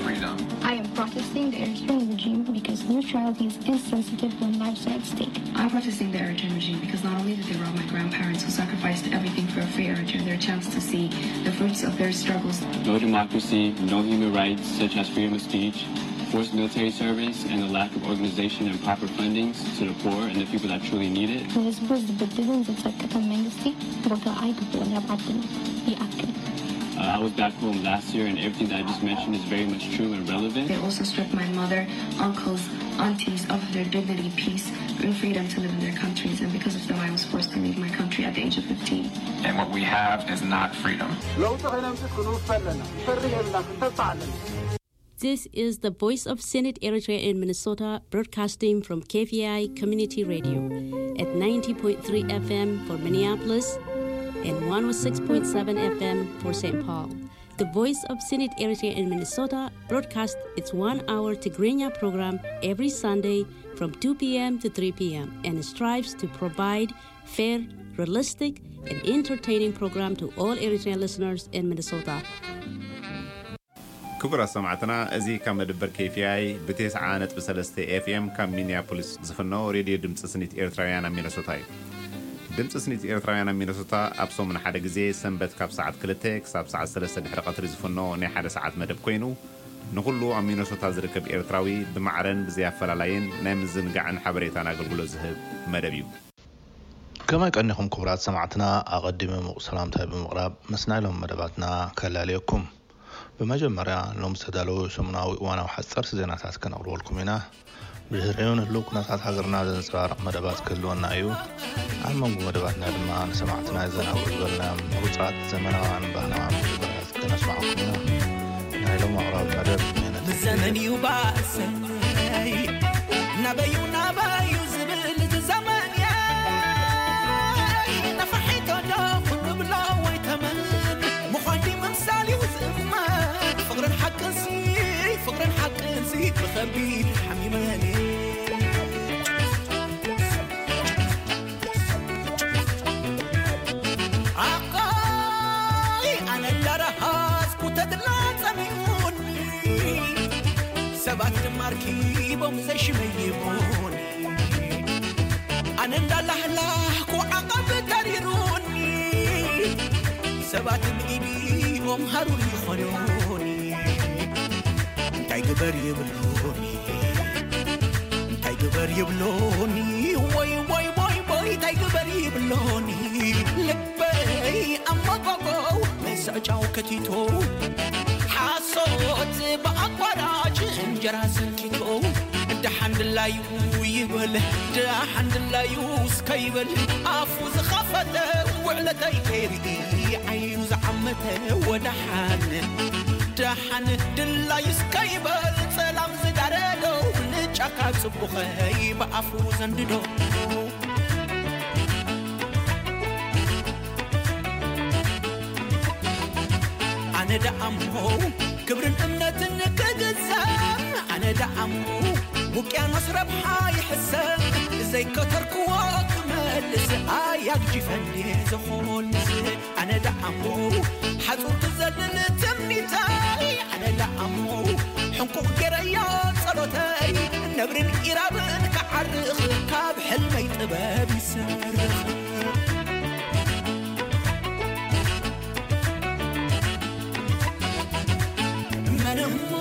I am protesting the Eritrean regime because neutrality is insensitive when lives are at stake. I'm protesting the Eritrean regime because not only did they rob my grandparents who sacrificed everything for a free Eritrea their chance to see the fruits of their struggles. No democracy, no human rights such as freedom of speech, forced military service, and the lack of organization and proper fundings to the poor and the people that truly need it. ንህዝቡ ዝብድልን ዝጸቅጥን መንግስቲ ቦታ ኣይግብኦን ኣብ ዓድና። ይኣክል። Uh, I was back home last year, and everything that I just mentioned is very much true and relevant. They also stripped my mother, uncles, aunties of their dignity, peace, and freedom to live in their countries, and because of them, I was forced to leave my country at the age of fifteen. And what we have is not freedom. ለውጢ ከነምፅእ ክንውፍ ኣለና። ፈርህ የብልና፣ ክንተስፋ ኣለና። This is the Voice of Senate Eritrea in Minnesota, broadcasting from K V I Community Radio at ninety point three F M for Minneapolis and one oh six point seven F M for Saint Paul. The Voice of Senate Eritrea in Minnesota broadcasts its one-hour Tigrinya program every Sunday from two p.m. to three p.m. and strives to provide fair, realistic, and entertaining program to all Eritrean listeners in Minnesota. ክቡራት ሰማዕትና፣ እዚ ካብ መደበር K V I ብ ተስዓ ነጥቢ ሰለስተ F M ካብ ሚኒያፖሊስ ዝፍኖ ሬድዮ ድምፂ ስኒት ኤርትራውያን ኣብ ሚነሶታ እዩ። ድምፂ ስኒት ኤርትራውያን ኣብ ሚነሶታ ኣብ ሰሙን ሓደ ግዜ ሰንበት ካብ ሰዓት ክልተ ክሳብ ሰዓት ሰለስተ ድሕሪ ቀትሪ ዝፍኖ ናይ ሓደ ሰዓት መደብ ኮይኑ፣ ንኹሉ ኣብ ሚነሶታ ዝርከብ ኤርትራዊ ብማዕረን ብዘይ ኣፈላላይን ናይ ምዝንጋዕን ሓበሬታን ኣገልግሎት ዝህብ መደብ እዩ። ከመይ ቀኒኹም ክቡራት ሰማዕትና? ኣቐዲመ ምቑ ሰላምታይ ብምቕራብ ምስ ናይ ሎም መደባትና ከላልየኩም። ብመጀመርያ ሎም ዝተዳለዉ ሰሙናዊ እዋናዊ ሓፀርቲ ዜናታት ከነቕርበልኩም ኢና። ብድሕሪኡ ንህልው ኩነታት ሃገርና ዘንፀባርቕ መደባት ክህልወና እዩ። ኣብ መንጎ መደባትና ድማ ንሰማዕትና የዘናግዑ ዝበልናዮም ምሩፃት ዘመናውያን ባህላውያን ሙዚቃታት ከነስማዕኩም ኢና። ናይ ሎም ኣቕራቢ መደብ ሜነት ዘመን እዩ ባሰይ ናበዩ ናበዩ ዝብል እቲ ዘመን እየ ነፋሒቶ ዶ ክንብሎ ወይ ተመን ምዃን ድዩ ምምሳል እዩ ዝእመን ፍቕርን ሓቅንሲ ፍቕርን ሓቅንሲ ብኸቢድ ሓሚመን ኣቃይ ኣነ እንዳረሃዝኩ ተድላ ጸሚኡኒ ሰባት ድማ ኣርኪቦም ዘይሽመይሞኒ ኣነ እንዳላህላህኩ ዓቐብ ተሪሩኒ ሰባት ብኢዲኦም ሃሩር ይኾኑኒ እንታይ ግበር ይብሉኒ እንታይ ግበር ይብሉኒ ወይ ወይ ወይ ወይ እንታይ ግበር ይብሉኒ ልበይ ኣመጎጎው ምስ ዕጫው ከቲቶ ሓሶት ብኣቋራጭ እንጀራ ሰንኪቶ ደሓን ድላዩ ይበል ደሓን ድላዩ እስከ ይበል ኣፉ ዝኸፈተ ውዕለተይ ከይርኢ ዓይኑ ዝዓመተ ወደሓን ደሓን ድላዩ እስከ ይበል ጸላም ዝጋረዶ ንጫካ ጽቡኸይ ብኣፉ ዘንድዶ ኣነ ደኣሞ ክብርን እምነትን ክግዘም ኣነ ደኣሞ ውቅያኖስ ረብሓ ይሕሰብ ዘይከተርክዎ ክመልስ ኣያግጂፈን ዝኾልስ ኣነ ደኣሞ ሓጹር ክዘልል ትምኒተይ ኣነ ደኣሞ ሕንቁቕ ገይረዮ ጸሎተይ ነብርን ኢራብን ክዓርኽ ካብ ሕልመይ ጥበብ ይሰርኽ መንሞ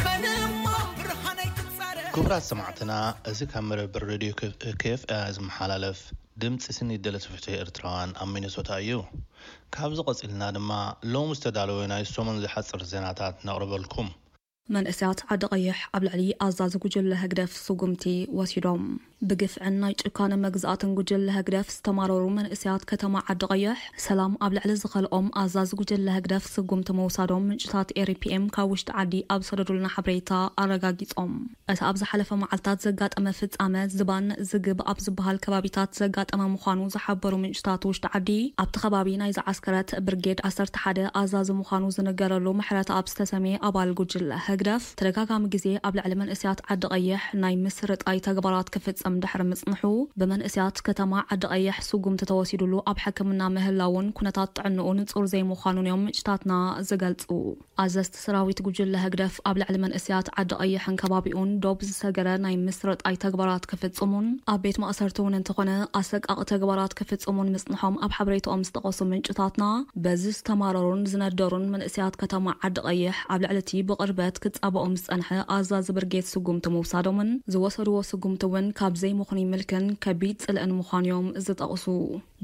መንሞ ብርሃነይ ክጻረ ክቡራት ሰማዕትና፣ እዚ ካብ መደበር ሬድዮ K F I ዝመሓላለፍ ድምፂ ስኒት ደለይቲ ፍትሒ ኤርትራውያን ኣብ ሚነሶታ እዩ። ካብዚ ቀፂልና ድማ ሎም ዝተዳለወ ናይ ሰሙን ዝሓፅር ዜናታት ነቕርበልኩም። መንእሰያት ዓዲ ቀይሕ ኣብ ልዕሊ ኣዛዚ ጉጅለ ህግደፍ ስጉምቲ ወሲዶም። ብግፍዕን ናይ ጭካነ መግዛእትን ጉጅለ ህግደፍ ዝተማረሩ መንእሰያት ከተማ ዓዲ ቀይሕ ሰላም ኣብ ልዕሊ ዝኸልኦም ኣዛዚ ጉጅለ ህግደፍ ስጉምቲ ምውሳዶም ምንጭታት ኤሪፒኤም ካብ ውሽጢ ዓዲ ኣብ ዝሰደዱልና ሓበሬታ ኣረጋጊጾም። እቲ ኣብ ዝሓለፈ መዓልታት ዘጋጠመ ፍጻመ ዝባን ዝግብ ኣብ ዝበሃል ከባቢታት ዘጋጠመ ምዃኑ ዝሓበሩ ምንጭታት ውሽጢ ዓዲ ኣብቲ ከባቢ ናይ ዝዓስከረት ብርጌድ ዓሰርተ ሓደ ኣዛዚ ምዃኑ ዝነገረሉ ምሕረተኣብ ዝተሰምየ ኣባል ጉጅለ ህግደፍ ተደጋጋሚ ግዜ ኣብ ልዕሊ መንእሰያት ዓዲ ቀይሕ ናይ ምስርጣይ ተግባራት ክፍጽም ድሕሪ ምጽንሑ፣ ብመንእስያት ከተማ ዓዲ ቀይሕ ስጉምቲ ተወሲዱሉ ኣብ ሕክምና ምህላውን ኩነታት ጥዕንኡ ንጹር ዘይምዃኑን እዮም ምንጭታትና ዝገልጹ። ኣዘዝቲ ሰራዊት ጉጅለ ህግደፍ ኣብ ልዕሊ መንእስያት ዓዲ ቀይሕን ከባቢኡን ዶብ ዝሰገረ ናይ ምስርጣይ ተግባራት ክፍጽሙን ኣብ ቤት ማእሰርቲ እውን እንተኾነ ኣሰቃቂ ተግባራት ክፍጽሙን ምጽንሖም ኣብ ሓበሬታኦም ዝጠቐሱ ምንጭታትና፣ በዚ ዝተማረሩን ዝነደሩን መንእስያት ከተማ ዓዲ ቀይሕ ኣብ ልዕሊ እቲ ብቕርበት ክጻበኦም ዝጸንሐ ኣዛዚ ብርጌድ ስጉምቲ ምውሳዶምን ዝወሰድዎ ስጉምቲ እውን ካብ ዘይምኹን ይምልክን ከቢድ ጽልእን ምዃኑ እዮም ዝጠቕሱ።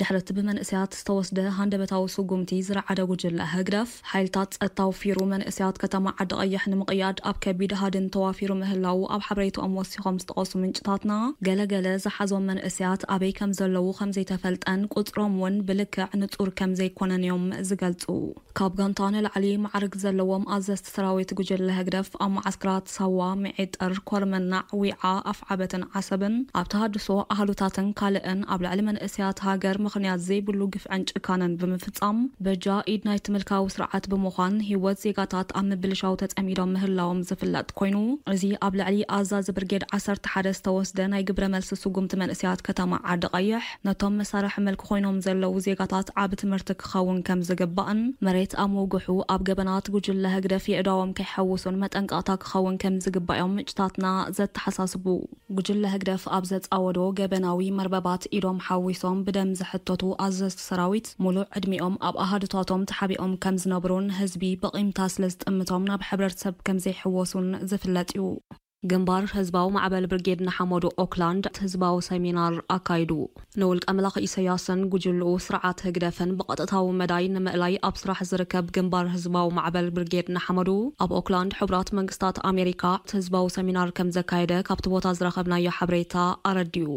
ድሕሪ እቲ ብመንእስያት ዝተወስደ ሃንደበታዊ ስጉምቲ ዝረዓደ ጉጅለ ህግደፍ፣ ሓይልታት ጸጥታ ኣውፊሩ መንእስያት ከተማ ዓዲ ቀይሕ ንምቕያድ ኣብ ከቢድ ሃድን ተዋፊሩ ምህላዉ ኣብ ሓበሬታኦም ወሲኾም ዝጠቐሱ ምንጭታትና፣ ገለገለ ዝሓዞም መንእስያት ኣበይ ከም ዘለዉ ከም ዘይተፈልጠን ቁጽሮም እውን ብልክዕ ንጹር ከም ዘይኮነን እዮም ዝገልጹ። ካብ ጋንታ ንላዕሊ ማዕርግ ዘለዎም ኣዘዝቲ ሰራዊት ጉጅለ ህግደፍ ኣብ መዓስከራት ሳዋ፣ ምዒጥር፣ ኮርመናዕ፣ ዊዓ፣ ኣፍዓበትን ዓሰብን ኣብ ተሃድሶ ኣህሉታትን ካልእን ኣብ ልዕሊ መንእስያት ሃገር ምኽንያት ዘይብሉ ግፍዕን ጭካነን ብምፍጻም በጃ ኢድ ናይቲ ምልካዊ ስርዓት ብምዃን ህይወት ዜጋታት ኣብ ምብልሻው ተጸሚዶም ምህላዎም ዝፍለጥ ኮይኑ፣ እዚ ኣብ ልዕሊ ኣዛዚ ብርጌድ ዓሰርተ ሓደ ዝተወስደ ናይ ግብረ መልሲ ስጉምቲ መንእስያት ከተማ ዓዲ ቀይሕ ነቶም መሳርሒ መልክ ኮይኖም ዘለዉ ዜጋታት ዓቢ ትምህርቲ ክኸውን ከም ዝግባእን መሬት ኣሞጉሑ ኣብ ገበናት ጉጅለ ህግደፍ የእዳዎም ከይሐውሱን መጠንቀቕታ ክኸውን ከም ዝግባእ እዮም ምንጭታትና ዘተሓሳስቡ። ጉጅለ ህግደፍ ኣብ ዘጻወዶ ገበናዊ መርበባት ኢዶም ሓዊሶም ብደም ዝሕተቱ ኣዘዝቲ ሰራዊት ሙሉእ ዕድሚኦም ኣብ ኣሃዱታቶም ተሓቢኦም ከም ዝነብሩን ህዝቢ ብቂምታ ስለ ዝጥምቶም ናብ ሕብረተሰብ ከም ዘይሕወሱን ዝፍለጥ እዩ። ግንባር ህዝባዊ ማዕበል ብርጌድ ንሓመዱ ኦክላንድ ህዝባዊ ሰሚናር ኣካይዱ። ንውልቀ መላኺ ኢሰያስን ጉጅልኡ ስርዓት ህግደፍን ብቐጥታዊ መዳይ ንምእላይ ኣብ ስራሕ ዝርከብ ግንባር ህዝባዊ ማዕበል ብርጌድ ንሓመዱ ኣብ ኦክላንድ ሕቡራት መንግስታት ኣሜሪካ ህዝባዊ ሰሚናር ከም ዘካየደ ካብቲ ቦታ ዝረኸብናዮ ሓበሬታ ኣረዲኡ።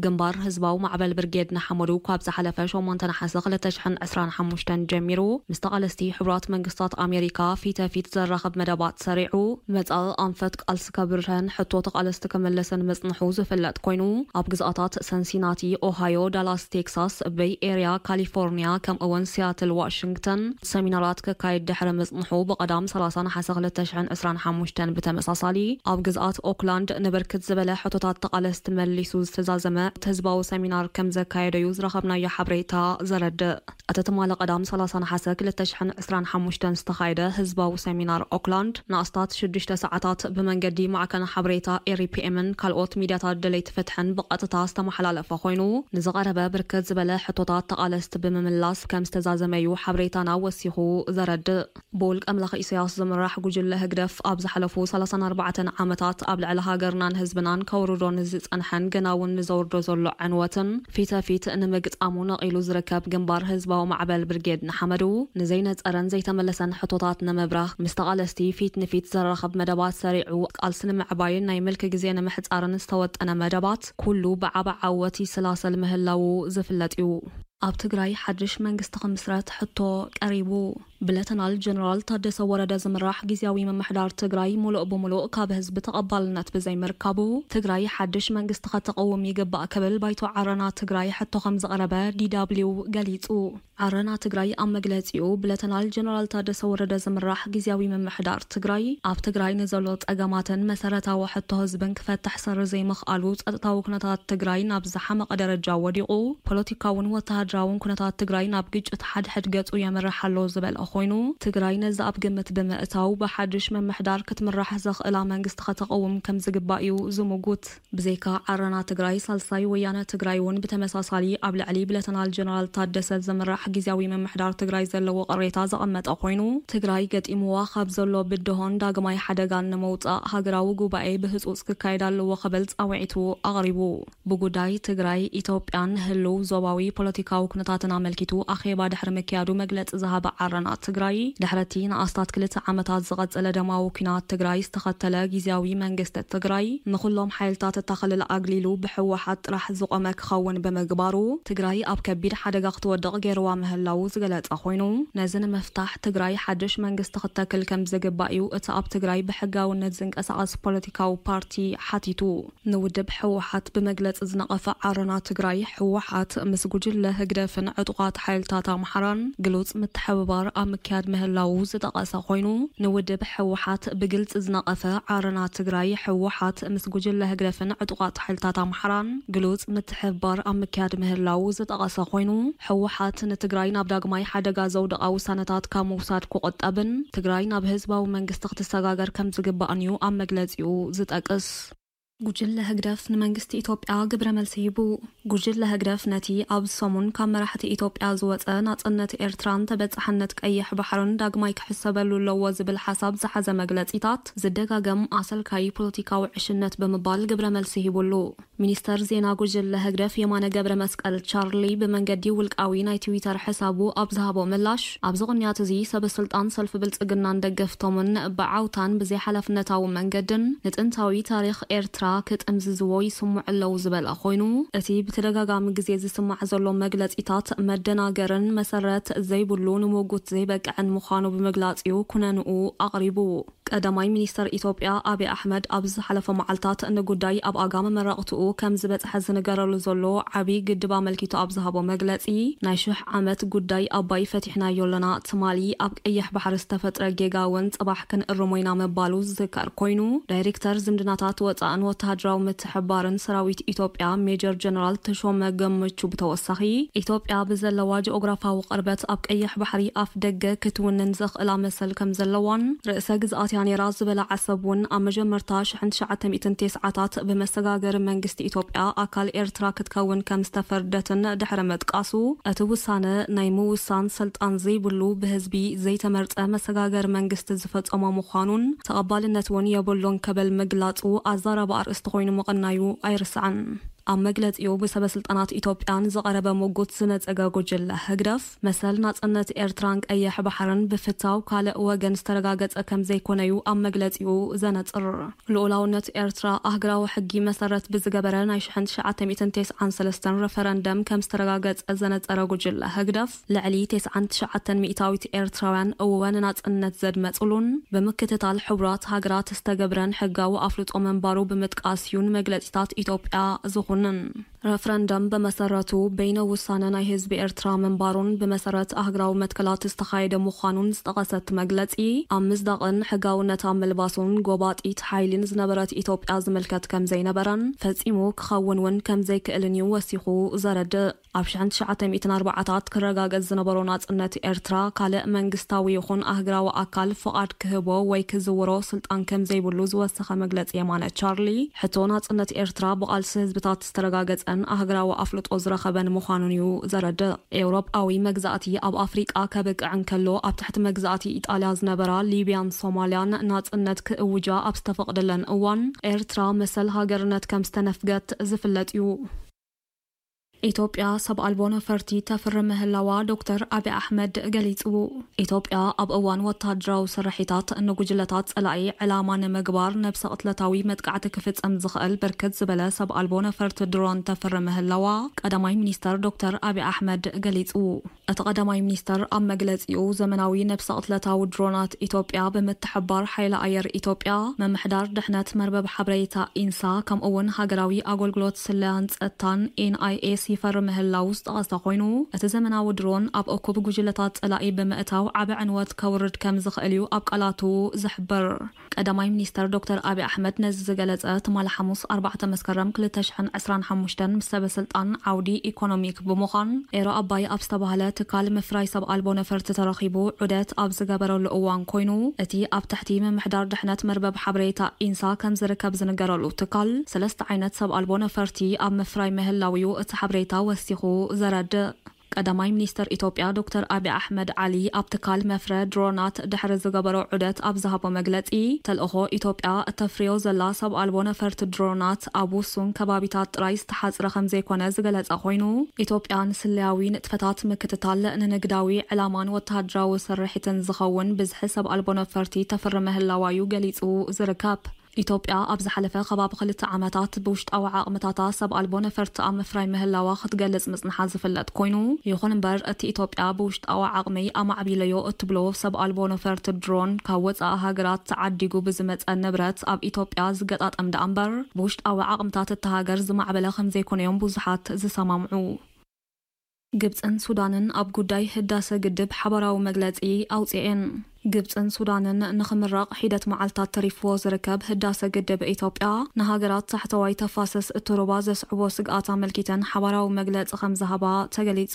ግንባር ህዝባዊ ማዕበል ብርጌድ ንሓመዱ ካብ ዝሓለፈ ሸሞንተ ነሓሰ ክልተ ሽሕን ዕስራን ሓሙሽተን ጀሚሩ ምስ ተቓለስቲ ሕቡራት መንግስታት ኣሜሪካ ፊተ ፊት ዘራኽብ መደባት ሰሪዑ መጻኢ ኣንፈት ቃልሲ ከብርህን ሕቶ ተቓለስቲ ክምልስን ምጽንሑ ዝፍለጥ ኮይኑ፣ ኣብ ግዝኣታት ሰንሲናቲ፣ ኦሃዮ፣ ዳላስ ቴክሳስ፣ በይ ኤርያ፣ ካሊፎርኒያ፣ ከምኡ እውን ሲያትል ዋሽንግተን ሰሚናራት ክካየድ ድሕሪ ምጽንሑ፣ ብቐዳም ሰላሳ ነሓሰ ክልተ ሽሕን ዕስራን ሓሙሽተን ብተመሳሳሊ ኣብ ግዝኣት ኦክላንድ ንብርክት ዝበለ ሕቶታት ተቓለስቲ መሊሱ ዝተዛዘመ ህዝባዊ ሰሚናር ከም ዘካየደዩ ዝረኸብናዮ ሓበሬታ ዘረድእ። እቲ ትማሊ ቀዳም ሰላሳ ነሓሰ ክልተ ሽሕን ዕስራን ሓሙሽተን ዝተኻየደ ህዝባዊ ሰሚናር ኦክላንድ ንኣስታት ሽዱሽተ ሰዓታት ብመንገዲ ማዕከን ሓበሬታ ኤሪፒኤምን ካልኦት ሚድያታት ደለይቲ ፍትሕን ብቐጥታ ዝተመሓላለፈ ኮይኑ፣ ንዝቐረበ ብርክት ዝበለ ሕቶታት ተቓለስቲ ብምምላስ ከም ዝተዛዘመዩ ሓበሬታና ወሲኹ ዘረድእ። ብውልቀ ኣምላኽ ኢሳያስ ዝምራሕ ጉጅለ ህግደፍ ኣብ ዝሓለፉ ሰላሳን ኣርባዕተን ዓመታት ኣብ ልዕሊ ሃገርናን ህዝብናን ከውርዶ ንዝጸንሐን ገና እውን ንዘውርዶ ዘሎ ዕንወትን ፊተ ፊት ንምግጣሙ ነቒሉ ዝርከብ ግንባር ህዝባዊ ማዕበል ብርጌድ ንሓመዱ፣ ንዘይነጸረን ዘይተመለሰን ሕቶታት ንምብራኽ ምስ ተቓለስቲ ፊት ንፊት ዘራኽብ መደባት ሰሪዑ፣ ቃልሲ ንምዕባይን ናይ ምልኪ ግዜ ንምሕጻርን ዝተወጠነ መደባት ኩሉ ብዓቢ ዓወት ይሰላሰል ምህላዉ ዝፍለጥ እዩ። ኣብ ትግራይ ሓድሽ መንግስቲ ክምስረት ሕቶ ቀሪቡ። ብለተናል ጀነራል ታደሰ ወረደ ዝምራሕ ግዝያዊ ምምሕዳር ትግራይ ሙሉእ ብሙሉእ ካብ ህዝቢ ተቐባልነት ብዘይምርካቡ፣ ትግራይ ሓድሽ መንግስቲ ከተቐውም ይግባእ ክብል ባይቶ ዓረና ትግራይ ሕቶ ከም ዘቕረበ ዲ ደብሊው ገሊጹ። ዓረና ትግራይ ኣብ መግለጺኡ፣ ብለተናል ጀነራል ታደሰ ወረደ ዝምራሕ ግዝያዊ ምምሕዳር ትግራይ፣ ኣብ ትግራይ ንዘሎ ጸገማትን መሰረታዊ ሕቶ ህዝብን ክፈትሕ ስር ዘይምኽኣሉ፣ ጸጥታዊ ኩነታት ትግራይ ናብ ዝሓመቐ ደረጃ ወዲቑ፣ ፖለቲካውን ወተሃደራውን ኩነታት ትግራይ ናብ ግጭት ሓድሕድ ገጹ የምርሕ ኣሎ ዝበለ ኮይኑ፣ ትግራይ ነዚ ኣብ ግምት ብምእታው፣ ብሓድሽ ምምሕዳር ክትምራሕ ዘኽእላ መንግስቲ ከተቐውም ከም ዝግባእ እዩ ዝምጉት። ብዘይካ ዓረና ትግራይ፣ ሳልሳይ ወያነ ትግራይ እውን ብተመሳሳሊ ኣብ ልዕሊ ብለተናል ጀነራል ታደሰ ዝምራሕ ግዝያዊ ምምሕዳር ትግራይ ዘለዎ ቅሬታ ዘቐመጠ ኮይኑ፣ ትግራይ ገጢምዋ ካብ ዘሎ ብድሆን ዳግማይ ሓደጋን ንምውጻእ ሃገራዊ ጉባኤ ብህጹጽ ክካየድ ኣለዎ ክብል ጻውዒቱ ኣቕሪቡ። ብጉዳይ ትግራይ፣ ኢትዮጵያን ህልው ዞባዊ ፖለቲካዊ ኩነታትን ኣመልኪቱ ኣኼባ ድሕሪ ምክያዱ መግለጺ ዝሃበ ዓረና ትግራይ፣ ድሕሪ እቲ ንኣስታት ክልተ ዓመታት ዝቐጸለ ደማዊ ኲናት ትግራይ ዝተኸተለ ግዝያዊ መንግስቲ ትግራይ፣ ንኹሎም ሓይልታት እታ ክልል ኣግሊሉ ብህወሓት ጥራሕ ዝቖመ ክኸውን ብምግባሩ፣ ትግራይ ኣብ ከቢድ ሓደጋ ክትወድቕ ገይርዋ ምህላዉ ዝገለጸ ኮይኑ፣ ነዚ ንምፍታሕ ትግራይ ሓድሽ መንግስቲ ክተክል ከም ዝግባእ እዩ እቲ ኣብ ትግራይ ብሕጋውነት ዝንቀሳቐስ ፖለቲካዊ ፓርቲ ሓቲቱ። ንውድብ ህወሓት ብመግለጺ ዝነቐፈ ዓረና ትግራይ፣ ህወሓት ምስ ጉጅለ ህግደፍን ዕጡቓት ሓይልታት ኣምሓራን ግሉጽ ምትሕብባር ኣብ ምክያድ ምህላዉ ዝጠቐሰ ኮይኑ፣ ንውድብ ህወሓት ብግልጺ ዝነቐፈ ዓረና ትግራይ፣ ህወሓት ምስ ጉጅለ ህግደፍን ዕጡቓት ሓይልታት ኣምሓራን ግሉጽ ምትሕብባር ኣብ ምክያድ ምህላዉ ዝጠቐሰ ኮይኑ፣ ህወሓት ንትግራይ ናብ ዳግማይ ሓደጋ ዘውደቓ ውሳነታት ካብ ምውሳድ ክቑጠብን ትግራይ ናብ ህዝባዊ መንግስቲ ክትሰጋገር ከም ዝግባእን እዩ ኣብ መግለጺኡ ዝጠቅስ። ጉጅለ ህግደፍ ንመንግስቲ ኢትዮጵያ ግብረ መልሲ ሂቡ። ጉጅለ ህግደፍ ነቲ ኣብዚ ሰሙን ካብ መራሕቲ ኢትዮጵያ ዝወጸ ናጽነት ኤርትራን ተበጻሕነት ቀይሕ ባሕርን ዳግማይ ክሕሰበሉ ኣለዎ ዝብል ሓሳብ ዝሓዘ መግለጺታት ዝደጋገም ኣሰልካዪ ፖለቲካዊ ዕሽነት ብምባል ግብረ መልሲ ሂቡሉ። ሚኒስተር ዜና ጉጅለ ህግደፍ የማነ ገብረ መስቀል ቻርሊ ብመንገዲ ውልቃዊ ናይ ትዊተር ሕሳቡ ኣብ ዝሃቦ ምላሽ፣ ኣብዚ ቅንያት እዚ ሰበ ስልጣን ሰልፊ ብልጽግናን ደገፍቶምን ብዓውታን ብዘይሓላፍነታዊ መንገድን ንጥንታዊ ታሪኽ ኤርትራ ክጥምዝዝዎ ይስምዑ ኣለዉ ዝበለ ኮይኑ፣ እቲ ብተደጋጋሚ ግዜ ዝስማዕ ዘሎ መግለጺታት መደናገርን መሰረት ዘይብሉ ንሞጉት ዘይበቅዕን ምዃኑ ብምግላጽ እዩ ኩነንኡ ኣቕሪቡ። ቀዳማይ ሚኒስተር ኢትዮጵያ ኣብይ ኣሕመድ ኣብ ዝሓለፈ መዓልታት ንጉዳይ ኣብ ኣጋ መመረቕትኡ ከም ዝበጽሐ ዝንገረሉ ዘሎ ዓብዪ ግድብ ኣመልኪቱ ኣብ ዝሃቦ መግለጺ፣ ናይ ሽሕ ዓመት ጉዳይ ኣባይ ፈቲሕናዮ ኣለና፣ ትማሊ ኣብ ቀይሕ ባሕሪ ዝተፈጥረ ጌጋ እውን ጽባሕ ክንእርሞ ኢና ምባሉ ዝዝከር ኮይኑ፣ ዳይሬክተር ዝምድናታት ወጻእን ወተሃደራዊ ምትሕብባርን ሰራዊት ኢትዮጵያ ሜጀር ጀነራል ተሾመ ገመቹ ብተወሳኺ፣ ኢትዮጵያ ብዘለዋ ጂኦግራፋዊ ቅርበት ኣብ ቀይሕ ባሕሪ ኣፍ ደገ ክትውንን ዘኽእላ መሰል ከም ዘለዋን፣ ርእሰ ግዝኣት እያ ነይራ ዝበላ ዓሰብ እውን ኣብ መጀመርታ ሽሕን ትሽዓተ ሚእትን ተስዓታት ብመሰጋገሪ መንግስቲ ኢትዮጵያ ኣካል ኤርትራ ክትከውን ከም ዝተፈርደትን ድሕሪ ምጥቃሱ፣ እቲ ውሳነ ናይ ምውሳን ስልጣን ዘይብሉ ብህዝቢ ዘይተመርጸ መሰጋገሪ መንግስቲ ዝፈጸሞ ምዃኑን ተቐባልነት እውን የብሉን ክብል ምግላጹ ኣዛራቢ ኣርእስቲ ኮይኑ ምቕናዩ ኣይርስዕን። ኣብ መግለጺኡ ብሰበ ስልጣናት ኢትዮጵያን ዝቐረበ ምጉት ዝነጸገ ጉጅለ ህግደፍ፣ መሰል ናጽነት ኤርትራን ቀይሕ ባሕርን ብፍታው ካልእ ወገን ዝተረጋገጸ ከም ዘይኮነዩ ኣብ መግለጺኡ ዘነጽር። ልኡላውነት ኤርትራ፣ ኣህግራዊ ሕጊ መሰረት ብዝገበረ ናይ ሽሕን ትሽዓተ ሚእትን ተስዓን ሰለስተን ረፈረንደም ከም ዝተረጋገጸ ዘነጸረ ጉጅለ ህግደፍ፣ ልዕሊ ተስዓን ትሽዓተን ሚእታዊት ኤርትራውያን እወ ንናጽነት ዘድመጹሉን ብምክትታል ሕቡራት ሃገራት ዝተገብረን ሕጋዊ ኣፍልጦ ምንባሩ ብምጥቃስ እዩ ንመግለጺታት ኢትዮጵያ ዝኹንን። ረፍረንደም ብመሰረቱ በይነ ውሳነ ናይ ህዝቢ ኤርትራ ምንባሩን ብመሰረት ኣህግራዊ መትከላት ዝተኻየደ ምዃኑን ዝጠቐሰት መግለጺ፣ ኣብ ምጽዳቕን ሕጋውነት ኣብ ምልባሱን ጎባጢት ሓይሊን ዝነበረት ኢትዮጵያ ዝምልከት ከም ዘይነበረን ፈጺሙ ክኸውን እውን ከም ዘይክእልን እዩ ወሲኹ ዘረድእ። ኣብ ሽሕን ትሽዓተ ሚእትን ኣርባዓታት ክረጋገጽ ዝነበሮ ናጽነት ኤርትራ፣ ካልእ መንግስታዊ ይኹን ኣህግራዊ ኣካል ፍቓድ ክህቦ ወይ ክዝውሮ ስልጣን ከም ዘይብሉ ዝወሰኸ መግለጺ የማነ ቻርሊ፣ ሕቶ ናጽነት ኤርትራ ብቓልሲ ህዝብታት ዝተረጋገጸን ኣህግራዊ ኣፍልጦ ዝረኸበን ምዃኑን እዩ ዘረድእ። ኤውሮጳዊ መግዛእቲ ኣብ ኣፍሪቃ ከብቅዕ እንከሎ፣ ኣብ ትሕቲ መግዛእቲ ኢጣልያ ዝነበራ ሊብያን ሶማልያን ናጽነት ክእውጃ ኣብ ዝተፈቕደለን እዋን፣ ኤርትራ መሰል ሃገርነት ከም ዝተነፍገት ዝፍለጥ እዩ። ኢትዮጵያ ሰብ ኣልቦ ነፈርቲ ተፍሪ ምህላዋ ዶክተር ኣቢ ኣሕመድ ገሊጹ። ኢትዮጵያ ኣብ እዋን ወተሃደራዊ ስርሒታት ንጉጅለታት ጸላኢ ዕላማ ንምግባር ነብሰ ቅትለታዊ መጥቃዕቲ ክፍጸም ዝኽእል ብርክት ዝበለ ሰብ ኣልቦ ነፈርቲ ድሮን ተፍሪ ምህላዋ ቀዳማይ ሚኒስተር ዶክተር ኣቢ ኣሕመድ ገሊጹ። እቲ ቀዳማይ ሚኒስተር ኣብ መግለጺኡ፣ ዘመናዊ ነብሰ ቅትለታዊ ድሮናት ኢትዮጵያ ብምትሕብባር ሓይሊ ኣየር ኢትዮጵያ፣ ምምሕዳር ድሕነት መርበብ ሓበሬታ ኢንሳ፣ ከምኡ እውን ሃገራዊ ኣገልግሎት ስለያን ጸጥታን ኤን ኣይ ኤስ ይፈሪ ምህላው ዝጠቐሰ ኮይኑ፣ እቲ ዘመናዊ ድሮን ኣብ እኩብ ጉጅለታት ጸላኢ ብምእታው ዓቢ ዕንወት ከውርድ ከም ዝኽእል እዩ ኣብ ቃላቱ ዝሕብር። ቀዳማይ ሚኒስተር ዶክተር ኣቢ ኣሕመድ ነዚ ዝገለጸ ትማሊ ሓሙስ ኣርባዕተ መስከረም ክልተ ሽሕን ዕስራን ሓሙሽተን ምስ ሰበ ስልጣን ዓውዲ ኢኮኖሚክ ብምዃን ኤሮ ኣባይ ኣብ ዝተባህለ ትካል ምፍራይ ሰብ ኣልቦ ነፈርቲ ተረኺቡ ዑደት ኣብ ዝገበረሉ እዋን ኮይኑ፣ እቲ ኣብ ትሕቲ ምምሕዳር ድሕነት መርበብ ሓበሬታ ኢንሳ ከም ዝርከብ ዝንገረሉ ትካል ሰለስተ ዓይነት ሰብ ኣልቦ ነፈርቲ ኣብ ምፍራይ ምህላው እዩ እቲ ሓበሬታ ወሲኹ ዘረድእ። ቀዳማይ ሚኒስተር ኢትዮጵያ ዶክተር ኣቢ ኣሕመድ ዓሊ ኣብ ትካል መፍረ ድሮናት ድሕሪ ዝገበሮ ዑደት ኣብ ዝሃቦ መግለጺ፣ ተልእኾ ኢትዮጵያ እተፍርዮ ዘላ ሰብ ኣልቦ ነፈርቲ ድሮናት ኣብ ውሱን ከባቢታት ጥራይ ዝተሓጽረ ከም ዘይኮነ ዝገለጸ ኮይኑ፣ ኢትዮጵያ ንስለያዊ ንጥፈታት ምክትታል፣ ንንግዳዊ ዕላማን ወተሃደራዊ ስርሒትን ዝኸውን ብዝሒ ሰብ ኣልቦ ነፈርቲ ተፍሪ ምህላዋ እዩ ገሊጹ ዝርከብ። ኢትዮጵያ ኣብ ዝሓለፈ ከባቢ ክልተ ዓመታት ብውሽጣዊ ዓቕምታታ ሰብ ኣልቦ ነፈርቲ ኣብ ምፍራይ ምህላዋ ክትገልጽ ምጽንሓ ዝፍለጥ ኮይኑ፣ ይኹን እምበር እቲ ኢትዮጵያ ብውሽጣዊ ዓቕመይ ኣማዕቢለዮ እትብሎ ሰብ ኣልቦ ነፈርቲ ድሮን ካብ ወጻኢ ሃገራት ተዓዲጉ ብዝመጸ ንብረት ኣብ ኢትዮጵያ ዝገጣጠም ደኣ እምበር ብውሽጣዊ ዓቕምታት እታ ሃገር ዝማዕበለ ከም ዘይኮነ እዮም ብዙሓት ዝሰማምዑ። ግብፅን ሱዳንን ኣብ ጉዳይ ህዳሰ ግድብ ሓባራዊ መግለፂ ኣውፅኤን። ግብፅን ሱዳንን ንኽምረቕ ሒደት መዓልታት ተሪፍዎ ዝርከብ ህዳሰ ግድብ ኢትዮጵያ ንሃገራት ታሕተዋይ ተፋሰስ እቲ ሩባ ዘስዕቦ ስግኣት ኣመልኪተን ሓባራዊ መግለፂ ከም ዝሃባ ተገሊፁ።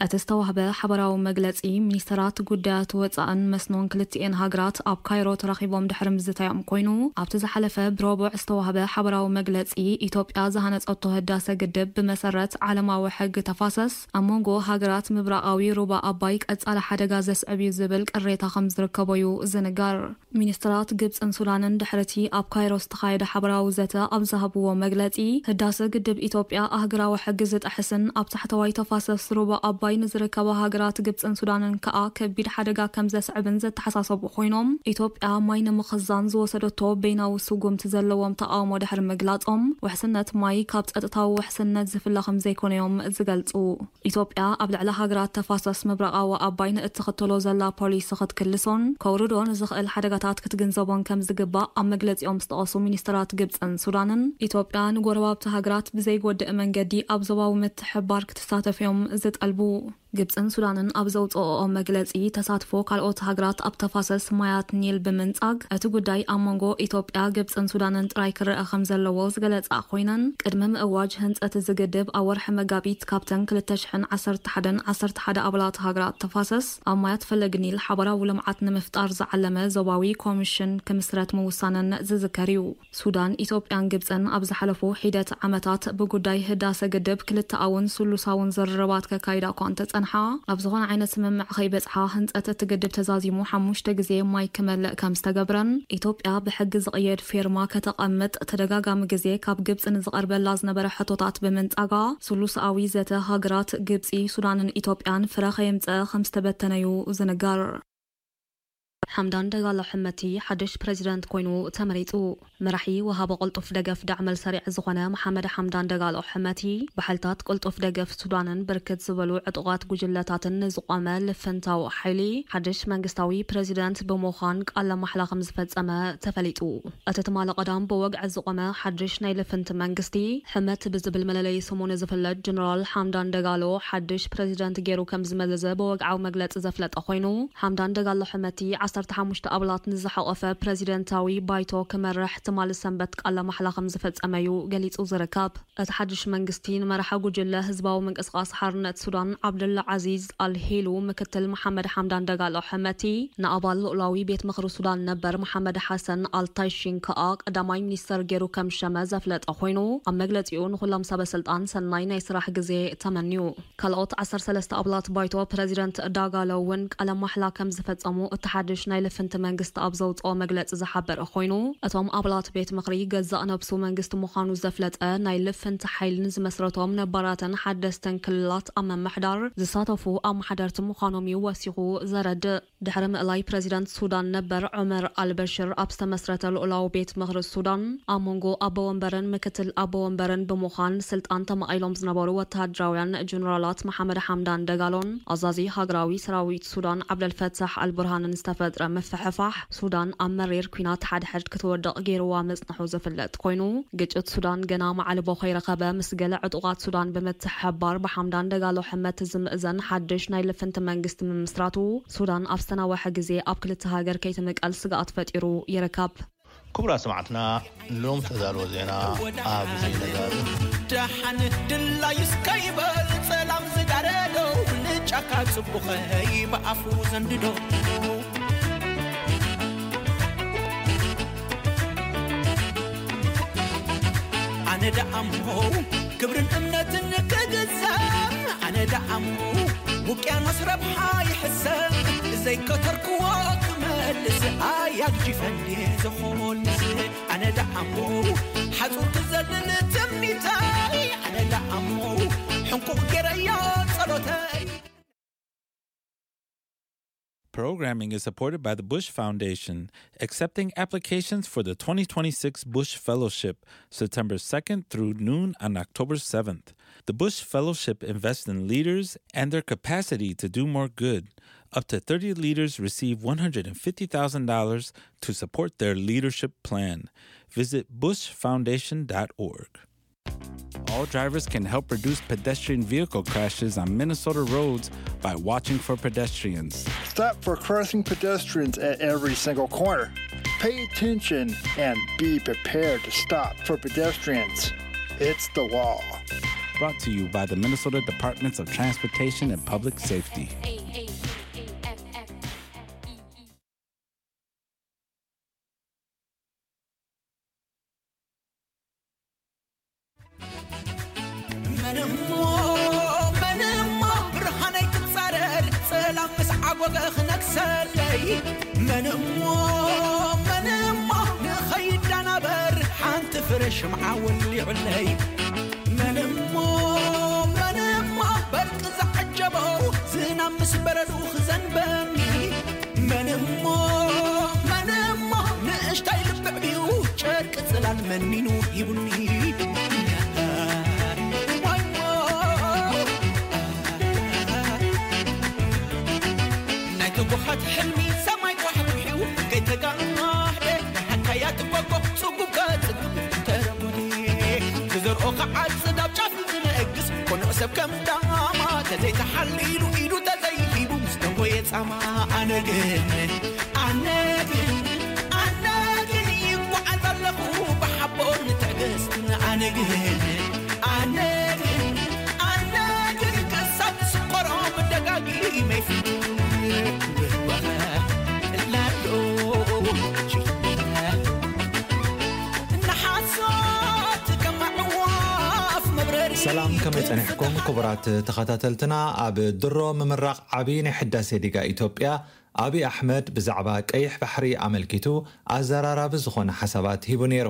እቲ ዝተዋህበ ሓባራዊ መግለፂ፣ ሚኒስተራት ጉዳያት ወፃእን መስኖን ክልቲኤን ሃገራት ኣብ ካይሮ ተራኺቦም ድሕሪ ምዝታዮም ኮይኑ፣ ኣብቲ ዝሓለፈ ብረቡዕ ዝተዋህበ ሓባራዊ መግለፂ፣ ኢትዮጵያ ዝሃነፀቶ ህዳሰ ግድብ ብመሰረት ዓለማዊ ሕጊ ተፋሰስ ኣብ መንጎ ሃገራት ምብራቓዊ ሩባ ኣባይ ቀፃሊ ሓደጋ ዘስዕብ እዩ ዝብል ቅሬታ ከም ዝርከቦ እዩ ዝንገር። ሚኒስትራት ግብፅን ሱዳንን ድሕርቲ ኣብ ካይሮ ዝተኻየደ ሓበራዊ ዘተ ኣብ ዝሃብዎ መግለፂ፣ ህዳሰ ግድብ ኢትዮጵያ ኣህግራዊ ሕጊ ዝጥሕስን ኣብ ታሕተዋይ ተፋሰስ ሩባ ኣባይ ንዝርከባ ሃገራት ግብፅን ሱዳንን ከኣ ከቢድ ሓደጋ ከም ዘስዕብን ዘተሓሳሰቡ ኮይኖም፣ ኢትዮጵያ ማይ ንምኽዛን ዝወሰደቶ በይናዊ ስጉምቲ ዘለዎም ተቃውሞ ድሕሪ ምግላፆም፣ ውሕስነት ማይ ካብ ፀጥታዊ ውሕስነት ዝፍለ ከም ዘይኮነ እዮም ዝገልፁ። ኢትዮጵያ ኣብ ልዕሊ ሃገራት ተፋሰስ ምብራቓዊ ኣባይ ንእትኽተሎ ዘላ ፖሊሲ ክትክልሶን ከውርዶ ንዝኽእል ሓደጋታት ክትግንዘቦን ከም ዝግባእ ኣብ መግለጺኦም ዝጠቐሱ ሚኒስትራት ግብጽን ሱዳንን፣ ኢትዮጵያ ንጎረባብቲ ሃገራት ብዘይጎድእ መንገዲ ኣብ ዞባዊ ምትሕብባር ክትሳተፍ እዮም ዝጠልቡ። ግብጽን ሱዳንን ኣብ ዘውፅኦኦ መግለጺ፣ ተሳትፎ ካልኦት ሃገራት ኣብ ተፋሰስ ማያት ኒል ብምንጻግ፣ እቲ ጉዳይ ኣብ መንጎ ኢትዮጵያ፣ ግብጽን ሱዳንን ጥራይ ክረኣ ከም ዘለዎ ዝገለጻ ኮይነን፣ ቅድሚ ምእዋጅ ህንጸት እዚ ግድብ ኣብ ወርሒ መጋቢት ካብተን ክልተ ሽሕን ዓሰርተ ሓደን ዓሰርተ ሓደ ኣባላት ሃገራት ተፋሰስ ኣብ ማያት ፈለግ ኒል ሓባራዊ ልምዓት ንምፍጣር ዝዓለመ ዞባዊ ኮሚሽን ክምስረት ምውሳነን ዝዝከር እዩ። ሱዳን፣ ኢትዮጵያን ግብጽን ኣብ ዝሓለፉ ሒደት ዓመታት ብጉዳይ ህዳሰ ግድብ ክልተኣውን ስሉሳውን ዝርርባት ከካይዳ እኳ እንተጸንሓ፣ ኣብ ዝኾነ ዓይነት ስምምዕ ከይበጽሓ ህንጸት እቲ ግድብ ተዛዚሙ ሓሙሽተ ግዜ ማይ ክመልእ ከም ዝተገብረን፣ ኢትዮጵያ ብሕጊ ዝቕየድ ፌርማ ከተቐምጥ ተደጋጋሚ ግዜ ካብ ግብጺ ንዝቐርበላ ዝነበረ ሕቶታት ብምንጻጋ፣ ስሉሳዊ ዘተ ሃገራት ግብጺ፣ ሱዳንን ኢትዮጵያን ፍረ ከየምጽአ ከም ዝተበተነ እዩ ዝንገር። ሓምዳን ደጋሎ ሕመቲ ሓድሽ ፕሬዚደንት ኮይኑ ተመሪጹ። መራሒ ወሃቢ ቅልጡፍ ደገፍ ዳዕመል ሰሪዕ ዝኾነ መሓመድ ሓምዳን ደጋሎ ሕመቲ፣ ብሓይልታት ቅልጡፍ ደገፍ ሱዳንን ብርክት ዝበሉ ዕጡቓት ጉጅለታትን ንዝቖመ ልፍንታዊ ሓይሊ ሓድሽ መንግስታዊ ፕሬዚደንት ብምዃን ቃለ ማሕላ ከም ዝፈጸመ ተፈሊጡ። እቲ ትማሊ ቀዳም ብወግዒ ዝቖመ ሓድሽ ናይ ልፍንቲ መንግስቲ፣ ሕመት ብዝብል መለለዪ ስሙ ንዝፍለጥ ጀነራል ሓምዳን ደጋሎ ሓድሽ ፕሬዚደንት ገይሩ ከም ዝመዘዘ ብወግዓዊ መግለጺ ዘፍለጠ ኮይኑ፣ ሓምዳን ደጋሎ ሕመቲ ዓሰርተ ሓሙሽተ ኣባላት ንዝሓቖፈ ፕሬዚደንታዊ ባይቶ ክመርሕ ትማሊ ሰንበት ቃለ ማሕላ ከም ዝፈጸመ እዩ ገሊጹ ዝርከብ። እቲ ሓድሽ መንግስቲ ንመራሒ ጉጅለ ህዝባዊ ምንቅስቓስ ሓርነት ሱዳን ዓብደላ ዓዚዝ ኣልሂሉ፣ ምክትል መሓመድ ሓምዳን ደጋሎ ሕመቲ፣ ንኣባል ልኡላዊ ቤት ምኽሪ ሱዳን ነበር መሓመድ ሓሰን ኣልታይሺን ከኣ ቀዳማይ ሚኒስተር ገይሩ ከም ዝሸመ ዘፍለጠ ኮይኑ፣ ኣብ መግለጺኡ ንኹሎም ሰበ ስልጣን ሰናይ ናይ ስራሕ ግዜ ተመንዩ። ካልኦት ዓሰርተ ሰለስተ ኣባላት ባይቶ ፕሬዚደንት ዳጋሎ እውን ቃለ ማሕላ ከም ዝፈጸሙ እቲ ሓድሽ ናይ ልፍንቲ መንግስቲ ኣብ ዘውጽኦ መግለጺ ዝሓበረ ኮይኑ፣ እቶም ኣባላት ቤት ምኽሪ ገዛእ ነብሱ መንግስቲ ምዃኑ ዘፍለጠ ናይ ልፍንቲ ሓይሊ ንዝመስረቶም ነባራትን ሓደስትን ክልላት ኣብ ምምሕዳር ዝሳተፉ ኣመሓደርቲ ምዃኖም እዩ ወሲኹ ዘረድእ። ድሕሪ ምእላይ ፕሬዚደንት ሱዳን ነበር ዑመር ኣልበሽር ኣብ ዝተመስረተ ልኡላዊ ቤት ምኽሪ ሱዳን፣ ኣብ መንጎ ኣቦ ወንበርን ምክትል ኣቦ ወንበርን ብምዃን ስልጣን ተማቒሎም ዝነበሩ ወተሃደራውያን ጀነራላት መሓመድ ሓምዳን ደጋሎን ኣዛዚ ሃገራዊ ሰራዊት ሱዳን ዓብደልፈታሕ ኣልቡርሃንን ዝተፈጥረ ምፍሕፋሕ፣ ሱዳን ኣብ መሪር ኲናት ሓድሕድ ክትወድቕ ገይርዋ ምጽንሑ ዝፍለጥ ኮይኑ፣ ግጭት ሱዳን ገና ማዕልቦ ከይረኸበ፣ ምስ ገለ ዕጡቓት ሱዳን ብምትሕብባር ብሓምዳን ደጋሎ ሕመት ዝምእዘን ሓድሽ ናይ ልፍንቲ መንግስቲ ምምስራቱ፣ ሱዳን ኣብ ዝተናወሐ ግዜ ኣብ ክልተ ሃገር ከይትምቀል ስግኣት ፈጢሩ ይርከብ። ክቡራት ሰማዕትና፣ ሎም ተዳልወ ዜና ኣብዚ ነጋሪ። ደሓን ድላዩ እስከ ይበል ጸላም ዝጋረዶ፣ ንጫካ ጽቡኸይ ብኣፉ ዘንድዶ። ኣነ ደኣሞ ክብርን እምነትን ክግዘም፣ ኣነ ደኣሞ ውቅያኖስ ረብሓ ይሕሰብ፣ ዘይከተርክዎ ክመልስ ኣያግጂፈን ዝኾልስ። ኣነ ደኣሞ ሓጹር ክዘልል ትምኒተይ፣ ኣነ ደኣሞ ሕንቁቕ ገይረዮ ጸሎተይ። Programming is supported by the Bush Foundation, accepting applications for the twenty twenty-six Bush Fellowship, September second through noon on October seventh. The Bush Fellowship invests in leaders and their capacity to do more good. Up to thirty leaders receive one hundred fifty thousand dollars to support their leadership plan. Visit bush foundation dot org. All drivers can help reduce pedestrian vehicle crashes on Minnesota roads by watching for pedestrians. Stop for crossing pedestrians at every single corner. Pay attention and be prepared to stop for pedestrians. It's the law. Brought to you by the Minnesota Departments of Transportation and Public Safety. መን እሞ መን እሞ ብርሃነይ ክጻረር፣ ጸላም ምስ ዓጎገ ክነግሰለይ? መን እሞ መን እሞ ንኸይዳናበር ሓንቲ ፍረ ሽምዓ ወሊዑለይ? መን እሞ መን እሞ በርቂ ዝዓጀቦ ዝናብ ምስ በረዱ ክዘንበኒ? መን እሞ መን እሞ ንእሽታይ ልብዕብዩ ጨርቂ ጽላል መንሚኑ ሂቡኒ? ዋይ ሞ ናይ ትጉሃት ሕልሚ ሰማይ ኳሕኩሒው ከይተጋህደ፣ ሓካያት ጎጎ ጽጉብ ከጽግብ ተረጉዲ፣ ክዘርኦ ክዓጽድ ኣብ ጫፍ ዝነግስ ቅኑዕ ሰብ ከም ዳማ ተዘይተሓሊሉ ኢዱ ተዘይሂቡ ምስ ደንጎየ ጻማ። ኣነ ግን ኣነ ግን ኣነ ግን ይጓዓዝ ኣለኹ ብሓቦን ትዕግስትን። ኣነ ግን ኣነ ግን ኣነ ግን ክሳብ ዝስቆሮ ደጋጊመ ይፍቱ። ብህወኸ ላሎ ንሓሶት ከም ኣዕዋፍ መብረሪ ሰላም፣ ከመይ ጸኒሕኩም ክቡራት ተኸታተልትና? ኣብ ድሮ ምምራቕ ዓቢ ናይ ሕዳሴ ዲጋ ኢትዮጵያ፣ ኣብይ ኣሕመድ ብዛዕባ ቀይሕ ባሕሪ ኣመልኪቱ ኣዘራራቢ ዝኾነ ሓሳባት ሂቡ ነይሩ።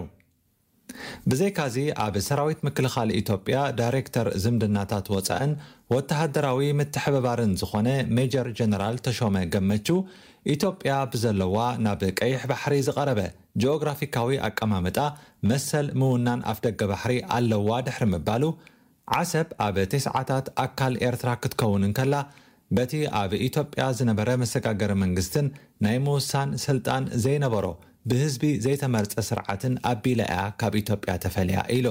ብዘይካዚ፣ ኣብ ሰራዊት ምክልኻል ኢትዮጵያ ዳይሬክተር ዝምድናታት ወጻእን ወተሃደራዊ ምትሕብባርን ዝኾነ ሜጀር ጀነራል ተሾመ ገመቹ፣ ኢትዮጵያ ብዘለዋ ናብ ቀይሕ ባሕሪ ዝቐረበ ጂኦግራፊካዊ ኣቀማምጣ መሰል ምውናን ኣፍደገ ባሕሪ ኣለዋ ድሕሪ ምባሉ፣ ዓሰብ ኣብ ተስዓታት ኣካል ኤርትራ ክትከውን እንከላ፣ በቲ ኣብ ኢትዮጵያ ዝነበረ መሰጋገሪ መንግስትን ናይ ምውሳን ስልጣን ዘይነበሮ ብህዝቢ ዘይተመርጸ ስርዓትን ኣቢላ እያ ካብ ኢትዮጵያ ተፈልያ ኢሉ።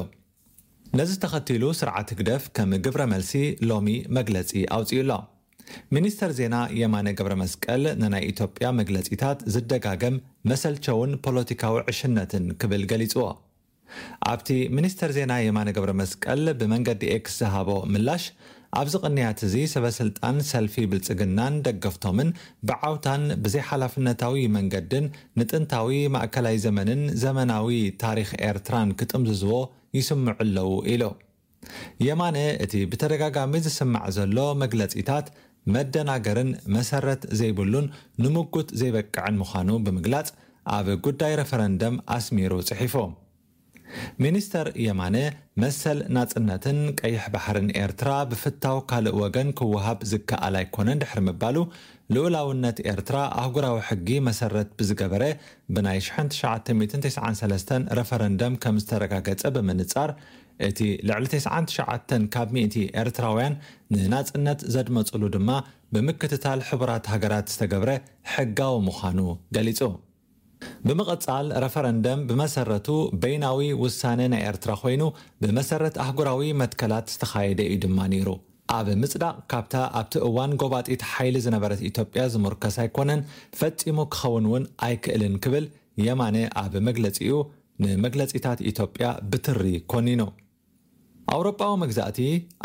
ነዚ ተኸቲሉ ስርዓት ህግደፍ ከም ግብረ መልሲ ሎሚ መግለጺ ኣውጺኡ ኣሎ። ሚኒስተር ዜና የማነ ገብረ መስቀል ንናይ ኢትዮጵያ መግለጺታት ዝደጋገም መሰልቸውን ፖለቲካዊ ዕሽነትን ክብል ገሊጽዎ። ኣብቲ ሚኒስተር ዜና የማነ ገብረ መስቀል ብመንገዲ ኤክስ ዝሃቦ ምላሽ፣ ኣብዚ ቅንያት እዚ ሰበ ስልጣን ሰልፊ ብልጽግናን ደገፍቶምን ብዓውታን ብዘይሓላፍነታዊ መንገድን ንጥንታዊ ማእከላይ ዘመንን ዘመናዊ ታሪኽ ኤርትራን ክጥምዝዝዎ ይስምዑ ኣለዉ ኢሉ። የማነ እቲ ብተደጋጋሚ ዝስማዕ ዘሎ መግለጺታት መደናገርን መሰረት ዘይብሉን ንምጉት ዘይበቅዕን ምዃኑ ብምግላጽ፣ ኣብ ጉዳይ ረፈረንደም ኣስሚሩ ጽሒፉ። ሚኒስተር የማነ፣ መሰል ናጽነትን ቀይሕ ባሕርን ኤርትራ ብፍታው ካልእ ወገን ክወሃብ ዝከኣል ኣይኮነን ድሕሪ ምባሉ፣ ልኡላውነት ኤርትራ ኣህጉራዊ ሕጊ መሰረት ብዝገበረ ብናይ ሽሕን ትሽዓተ ሚእትን ተስዓን ሰለስተን ረፈረንደም ከም ዝተረጋገጸ ብምንጻር፣ እቲ ልዕሊ ተስዓን ትሽዓተን ካብ ሚእቲ ኤርትራውያን ንናጽነት ዘድመጹሉ ድማ ብምክትታል ሕቡራት ሃገራት ዝተገብረ ሕጋዊ ምዃኑ ገሊጹ። ብምቕጻል፣ ረፈረንደም ብመሰረቱ በይናዊ ውሳነ ናይ ኤርትራ ኮይኑ፣ ብመሰረት ኣህጉራዊ መትከላት ዝተኻየደ እዩ ድማ ነይሩ። ኣብ ምጽዳቕ፣ ካብታ ኣብቲ እዋን ጎባጢት ሓይሊ ዝነበረት ኢትዮጵያ ዝምርከስ ኣይኮነን፣ ፈጺሙ ክኸውን እውን ኣይክእልን ክብል የማነ ኣብ መግለጺኡ ንመግለጺታት ኢትዮጵያ ብትሪ ኮኒኑ። ኣውሮጳዊ መግዛእቲ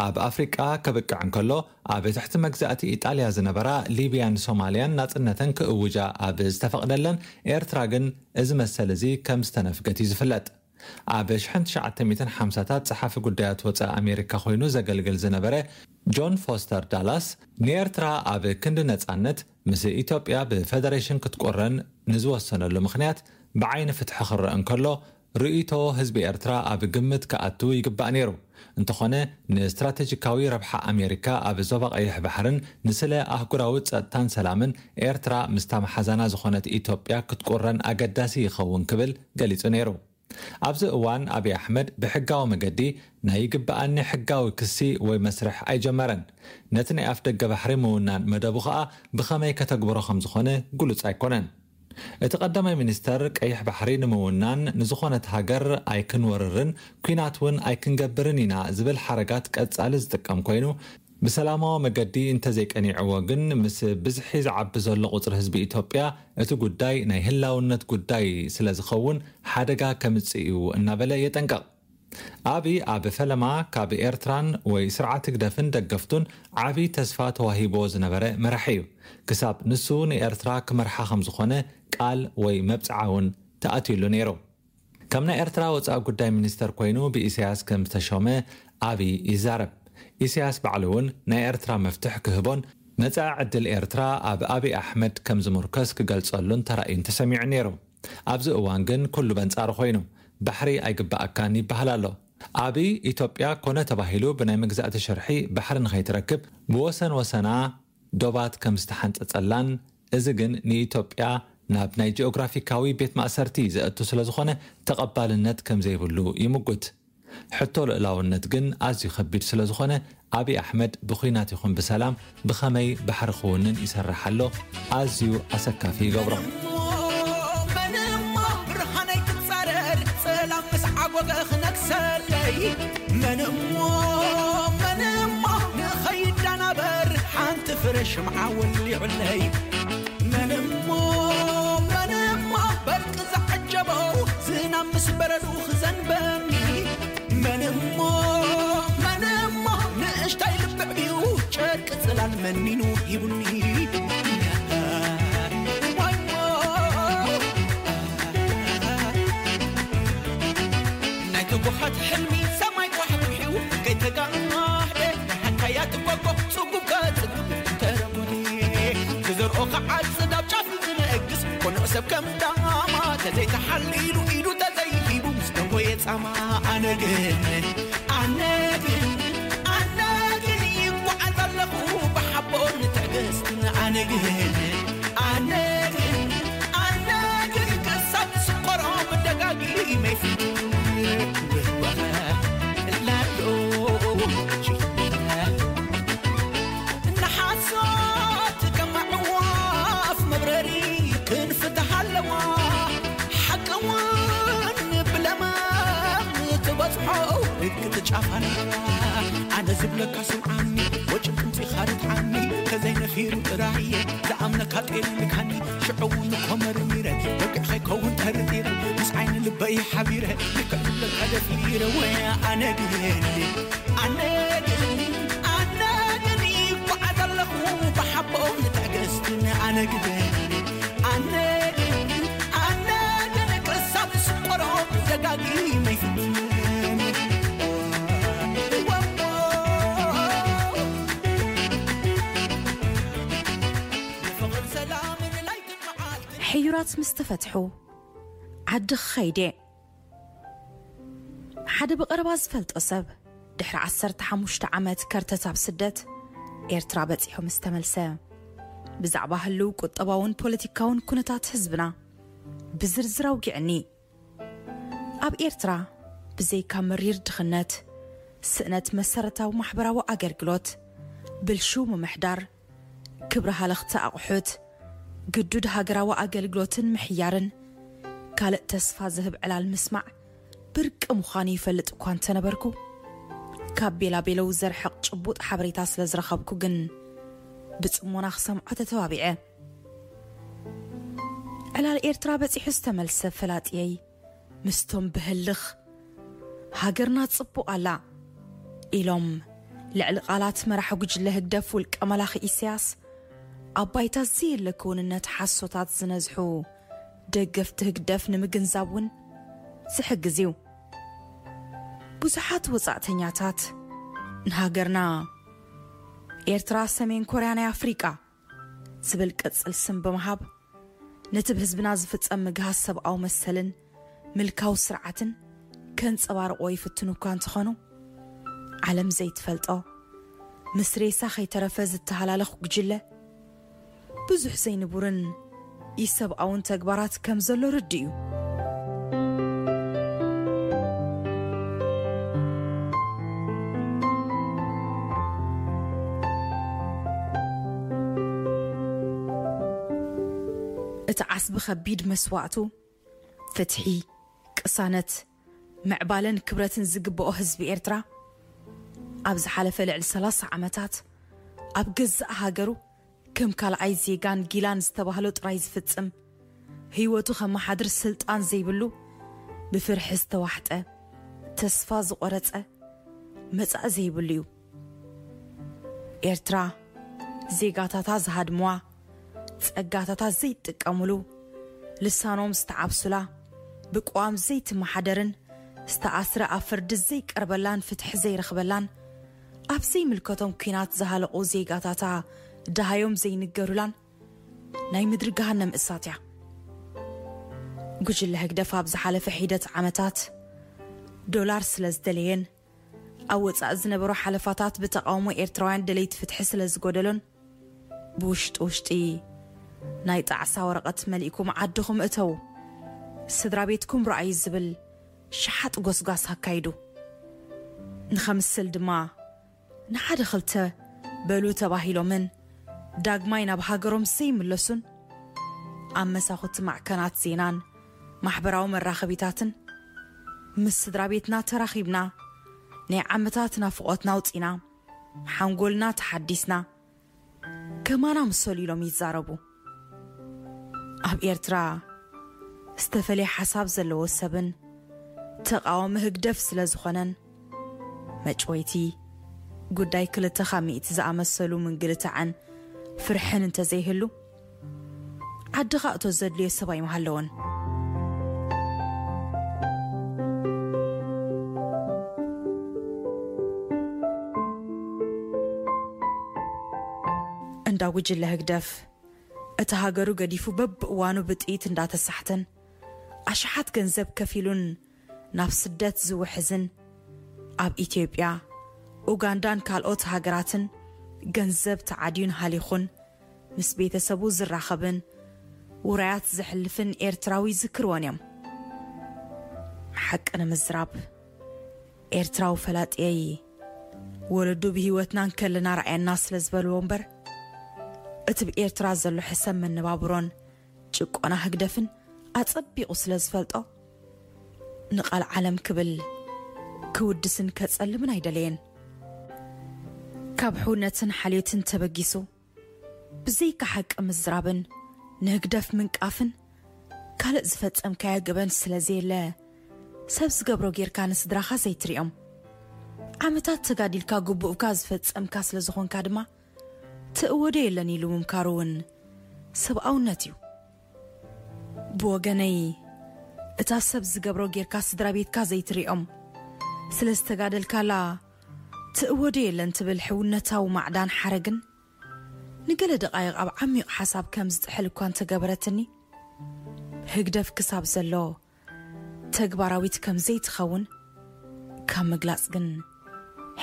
ኣብ ኣፍሪቃ ከብቅዕ እንከሎ፣ ኣብ ትሕቲ መግዛእቲ ኢጣልያ ዝነበራ ሊብያን ሶማልያን ናጽነተን ክእውጃ ኣብ ዝተፈቕደለን፣ ኤርትራ ግን እዚ መሰል እዚ ከም ዝተነፍገት እዩ ዝፍለጥ። ኣብ ሽሕን ትሽዓተ ሚእትን ሓምሳታት ጸሓፊ ጉዳያት ወጻኢ ኣሜሪካ ኮይኑ ዘገልግል ዝነበረ ጆን ፎስተር ዳላስ፣ ንኤርትራ ኣብ ክንዲ ነጻነት ምስ ኢትዮጵያ ብፈደሬሽን ክትቆረን ንዝወሰነሉ ምኽንያት ብዓይኒ ፍትሒ ክረአ እንከሎ፣ ርእይቶ ህዝቢ ኤርትራ ኣብ ግምት ክኣቱ ይግባእ ነይሩ። እንተኾነ፣ ንስትራተጂካዊ ረብሓ ኣሜሪካ ኣብ ዞባ ቀይሕ ባሕርን ንስለ ኣህጉራዊ ጸጥታን ሰላምን ኤርትራ ምስታ መሓዛና ዝኾነት ኢትዮጵያ ክትቁረን ኣገዳሲ ይኸውን ክብል ገሊጹ ነይሩ። ኣብዚ እዋን፣ ኣብይ ኣሕመድ ብሕጋዊ መገዲ ናይ ይግበኣኒ ሕጋዊ ክሲ ወይ መስርሕ ኣይጀመረን። ነቲ ናይ ኣፍደገ ባሕሪ ምውናን መደቡ ኸኣ ብኸመይ ከተግብሮ ከም ዝኾነ ግሉጽ ኣይኮነን። እቲ ቀዳማይ ሚኒስተር፣ ቀይሕ ባሕሪ ንምውናን ንዝኾነት ሃገር ኣይክንወርርን ኲናት እውን ኣይክንገብርን ኢና ዝብል ሓረጋት ቀጻሊ ዝጥቀም ኮይኑ፣ ብሰላማዊ መገዲ እንተዘይቀኒዕዎ ግን፣ ምስ ብዝሒ ዝዓቢ ዘሎ ቁጽሪ ህዝቢ ኢትዮጵያ፣ እቲ ጉዳይ ናይ ህላውነት ጉዳይ ስለ ዝኸውን ሓደጋ ከምጽእ እዩ እናበለ የጠንቅቕ። ኣብይ ኣብ ፈለማ ካብ ኤርትራን ወይ ስርዓት ህግደፍን ደገፍቱን ዓቢ ተስፋ ተዋሂቦ ዝነበረ መራሒ እዩ። ክሳብ ንሱ ንኤርትራ ክመርሓ ከም ዝኾነ ቃል ወይ መብጽዓ እውን ተኣትዩሉ ነይሩ። ከም ናይ ኤርትራ ወጻኢ ጉዳይ ሚኒስተር ኮይኑ ብኢሳያስ ከም ዝተሾመ ኣብይ ይዛረብ። ኢሳያስ ባዕሉ እውን ናይ ኤርትራ መፍትሕ ክህቦን መጻኢ ዕድል ኤርትራ ኣብ ኣብይ ኣሕመድ ከም ዝምርኮስ ክገልጸሉን ተራእዩን ተሰሚዑ ነይሩ። ኣብዚ እዋን ግን ኩሉ በንጻሩ ኮይኑ፣ ባሕሪ ኣይግባኣካን ይበሃል ኣሎ። ኣብይ ኢትዮጵያ ኮነ ተባሂሉ ብናይ መግዛእቲ ሽርሒ ባሕሪ ንኸይትረክብ ብወሰን ወሰና ዶባት ከም ዝተሓንጸጸላን፣ እዚ ግን ንኢትዮጵያ ናብ ናይ ጂኦግራፊካዊ ቤት ማእሰርቲ ዘእቱ ስለ ዝኾነ ተቐባልነት ከም ዘይብሉ ይምጉት። ሕቶ ልኡላውነት ግን ኣዝዩ ከቢድ ስለ ዝኾነ፣ ኣብይ ኣሕመድ ብኹናት ይኹን ብሰላም ብኸመይ ባሕሪ ክውንን ይሰርሕ ኣሎ፣ ኣዝዩ ኣሰካፊ ይገብሮ። መን እሞ ብርሃነይ ክጻረር፣ ጸላም ምስ ዓጎገ ክነግሰለይ። መን እሞ፣ መን እሞ ንኸይዳናበር፣ ሓንቲ ፍረ ሽምዓ ወሊዑለይ። መን እሞ፣ መን እሞ በርቂ ዝዓጀቦ፣ ዝናብ ምስ በረዱ ክዘንበኒ። መን እሞ፣ መን እሞ ንእሽታይ ልቢ ዕብዩ፣ ጨርቂ ጽላል መኒኑ ሂቡኒ። ዋይ ሞ፣ ናይ ትጉሃት ሕልሚ ሰማይ ኳሕኩሒው ከይተጋህደ፣ ናይ ሓካያት ጎጎ ጽጉብ ከጽግብ ተረጉዲ። ክዘርኦ ክዓጽድ ኣብ ጫፍ ዝነግስ ቅኑዕ ሰብ ከም ዳማ፣ ተዘይተሓሊሉ ኢዱ ተዘይሂቡ ምስ ደንጎየ ጻማ። ኣነ ግን፣ ኣነ ግን፣ ኣነ ግን ይጓዓዝ ኣለኹ ብሓቦን ትዕግስትን። ኣነ ግን፣ ኣነ ግን፣ ኣነ ግን ክሳብ ዝስቆሮ ደጋጊመ ይፍትን። ላሎ ንሓሶት ከም ኣዕዋፍ መብረሪ ክንፍትሕ ኣለዋ። ሓቂ እውን ብለማም ትበጽሖ ርግጥ ጫፋና። ኣነ ዝብለካ ስምዓኒ፣ ወጭ ቅምጺኻ ርትዓኒ። ተዘይነፊሩ ጥራየ ዝኣምነካ ጤነ ምካኒ። ሽዑ እውን እኮ መርሚረ፣ በቂዕ ከይከውን ጠርጢረ፣ ምስ ዓይኒ ልበይ ሓቢረ፣ ልክዕ ዝብለካ ደፊረ። ወይ ኣነ ግን፣ ኣነ ግን፣ ኣነ ግን ይጓዓዝ ኣለኹ ብሓቦን ትዕግስትን። ኣነ ግን፣ ኣነ ግን፣ ኣነ ግን ክሳብ ዝስቆሮ ደጋጊመ ይፍትን። ንፍቕርን ሰላምን ለይትን መዓልትን። ሕዩራት ምስ ተፈትሑ ዓዲ ክኸይድ እየ። ሓደ ብቐረባ ዝፈልጦ ሰብ ድሕሪ ዓሰርተ ሓሙሽተ ዓመት ከርተት ኣብ ስደት ኤርትራ በጺሑ ምስ ተመልሰ፣ ብዛዕባ ህልው ቁጠባውን ፖለቲካውን ኩነታት ህዝብና ብዝርዝር ኣውጊዕኒ። ኣብ ኤርትራ ብዘይካ መሪር ድኽነት፣ ስእነት መሰረታዊ ማሕበራዊ ኣገልግሎት፣ ብልሹው ምምሕዳር፣ ክብሪ ሃለኽቲ ኣቑሑት፣ ግዱድ ሃገራዊ ኣገልግሎትን ምሕያርን ካልእ ተስፋ ዝህብ ዕላል ምስማዕ ብርቂ ምዃኑ ይፈልጥ እኳ እንተነበርኩ፣ ካብ ቤላቤለው ዘርሕቕ ጭቡጥ ሓበሬታ ስለ ዝረኸብኩ ግን ብጽሞና ክሰምዖ ተተባቢዐ። ዕላል ኤርትራ በጺሑ ዝተመልሰ ፈላጥየይ ምስቶም ብህልኽ ሃገርና ጽቡቕ ኣላ ኢሎም ልዕሊ ቃላት መራሒ ጉጅለ ህግደፍ ውልቀ መላኺ ኢሳያስ ኣብ ባይታ ዘየለ ክውንነት ሓሶታት ዝነዝሑ ደገፍቲ ህግደፍ ንምግንዛብ እውን ዝሕግዝ እዩ። ብዙሓት ወጻእተኛታት ንሃገርና ኤርትራ ሰሜን ኮርያ ናይ ኣፍሪቃ ዝብል ቅጽል ስም ብምሃብ ነቲ ብህዝብና ዝፍጸም ምግሃስ ሰብኣዊ መሰልን ምልካዊ ስርዓትን ከንጸባርቕዎ ይፍትኑ እኳ እንተኾኑ፣ ዓለም ዘይትፈልጦ ምስ ሬሳ ከይተረፈ ዝተሃላለኹ ጉጅለ ብዙሕ ዘይንቡርን ኢሰብኣውን ተግባራት ከም ዘሎ ርዱእ እዩ። እቲ ኣስ ብኸቢድ መስዋእቱ ፍትሒ፣ ቅሳነት፣ ምዕባለን ክብረትን ዝግብኦ ህዝቢ ኤርትራ፣ ኣብ ዝሓለፈ ልዕሊ ሰላሳ ዓመታት ኣብ ገዛእ ሃገሩ ከም ካልኣይ ዜጋን ጊላን ዝተባህሎ ጥራይ ዝፍጽም፣ ህይወቱ ከመሓድር ስልጣን ዘይብሉ፣ ብፍርሒ ዝተዋሕጠ፣ ተስፋ ዝቖረጸ፣ መጻኢ ዘይብሉ እዩ። ኤርትራ ዜጋታታ ዝሃድምዋ፣ ጸጋታታ ዘይጥቀሙሉ፣ ልሳኖም ዝተዓብሱላ፣ ብቅዋም ዘይትመሓደርን ዝተኣስረ ኣብ ፍርዲ ዘይቀርበላን ፍትሒ ዘይረኽበላን፣ ኣብ ዘይምልከቶም ኲናት ዝሃለቑ ዜጋታታ ደሃዮም ዘይንገሩላን ናይ ምድሪ ገሃነም እሳት እያ። ጉጅለ ህግደፍ ኣብ ዝሓለፈ ሒደት ዓመታት ዶላር ስለ ዝደለየን ኣብ ወጻኢ ዝነበሩ ሓለፋታት ብተቓውሞ ኤርትራውያን ደለይቲ ፍትሒ ስለ ዝጎደሎን፣ ብውሽጢ ውሽጢ ናይ ጣዕሳ ወረቐት መሊእኩም ዓድኹም እተዉ፣ ስድራ ቤትኩም ረኣዩ ዝብል ሸሓጥ ጎስጓስ ኣካይዱ። ንኸምስል ድማ ንሓደ ክልተ በሉ ተባሂሎምን ዳግማይ ናብ ሃገሮም ዘይምለሱን፣ ኣብ መሳኹቲ ማዕከናት ዜናን ማሕበራዊ መራኸቢታትን ምስ ስድራ ቤትና ተራኺብና፣ ናይ ዓመታት ናፍቖትና ኣውጺና፣ ሓንጎልና ተሓዲስና፣ ከማና ምሰሉ ኢሎም ይዛረቡ። ኣብ ኤርትራ ዝተፈለየ ሓሳብ ዘለዎ ሰብን ተቓዋሚ ህግደፍ ስለ ዝኾነን፣ መጭወይቲ ጉዳይ ክልተ ካብ ሚእቲ ዝኣመሰሉ ምንግልታዕን ፍርሕን እንተዘይህሉ፣ ዓድኻ እቶ ዘድልዮ ሰብ ኣይምሃለዎን። እንዳ ጉጅለ ህግደፍ፣ እቲ ሃገሩ ገዲፉ በብእዋኑ ብጥይት እንዳተሳሕተን፣ ኣሽሓት ገንዘብ ከፊሉን ናብ ስደት ዝውሕዝን፣ ኣብ ኢትዮጵያ፣ ኡጋንዳን ካልኦት ሃገራትን ገንዘብ ተዓድዩን ሃሊኹን ምስ ቤተሰቡ ዝራኸብን ውራያት ዘሕልፍን ኤርትራዊ ዝክርዎን እዮም። ሓቂ ንምዝራብ፣ ኤርትራዊ ፈላጥየይ ወለዱ ብህይወትና እንከለና ረኣየና ስለ ዝበልዎ እምበር፣ እቲ ብኤርትራ ዘሎ ሕሰም መነባብሮን ጭቆና ህግደፍን ኣጸቢቑ ስለ ዝፈልጦ፣ ንቓል ዓለም ክብል ክውድስን ከጸልምን ኣይደለየን። ካብ ሕውነትን ሓልዮትን ተበጊሱ፣ ብዘይካ ሓቂ ምዝራብን ንህግደፍ ምንቃፍን ካልእ ዝፈጸምካዮ ገበን ስለ ዘየለ፣ ሰብ ዝገብሮ ጌርካ ንስድራኻ ዘይትሪኦም። ዓመታት ተጋዲልካ ግቡእካ ዝፈጸምካ ስለ ዝኾንካ ድማ፣ ትእወዶ የለን ኢሉ ምምካሩ እውን ሰብኣውነት እዩ። ብወገነይ፣ እታ ሰብ ዝገብሮ ጌርካ ስድራ ቤትካ ዘይትሪኦም ስለ ዝተጋደልካላ ትእወዶ የለን ትብል ሕውነታዊ ማዕዳን ሓረግን ንገለ ደቓይቕ ኣብ ዓሚቕ ሓሳብ ከም ዝጥሕል እኳ እንተገበረትኒ፣ ህግደፍ ክሳብ ዘሎ ተግባራዊት ከም ዘይትኸውን ካብ ምግላጽ ግን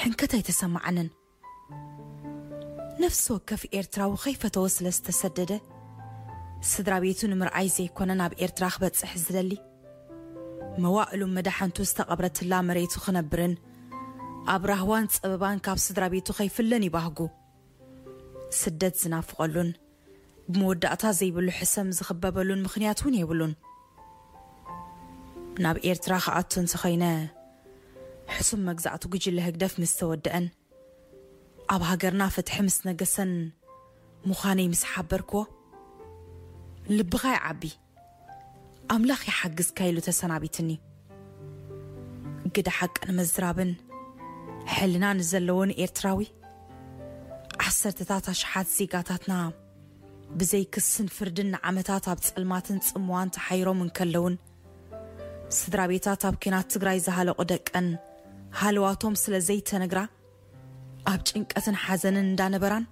ሕንከት ኣይተሰማዓንን። ነፍሲ ወከፍ ኤርትራዊ ከይፈተወ ስለ ዝተሰደደ፣ ስድራ ቤቱ ንምርኣይ ዘይኮነ ናብ ኤርትራ ክበጽሕ ዝደሊ፣ መዋእሉ መዳሕንቱ ዝተቐብረትላ መሬቱ ክነብርን ኣብ ራህዋን ጸበባን ካብ ስድራ ቤቱ ከይፍለን ይባህጉ። ስደት ዝናፍቐሉን ብመወዳእታ ዘይብሉ ሕሰም ዝኽበበሉን ምኽንያት እውን የብሉን። ናብ ኤርትራ ክኣቱ እንተኾይነ፣ ሕሱም መግዛእቲ ጉጅለ ህግደፍ ምስ ተወደአን፣ ኣብ ሃገርና ፍትሒ ምስ ነገሰን ምዃነይ ምስ ሓበርክዎ፣ ልብኻ ይዓቢ፣ ኣምላኽ ይሓግዝካ ኢሉ ተሰናቢትኒ። ግደ ሓቂ ንምዝራብን ሕልና ንዘለዎን ኤርትራዊ፣ ዓሰርተታት ኣሽሓት ዜጋታትና ብዘይ ክስን ፍርድን ንዓመታት ኣብ ጸልማትን ጽምዋን ተሓይሮም እንከለውን፣ ስድራ ቤታት ኣብ ኲናት ትግራይ ዝሃለቑ ደቀን ሃለዋቶም ስለ ዘይተነግራ፣ ኣብ ጭንቀትን ሓዘንን እንዳነበራን፣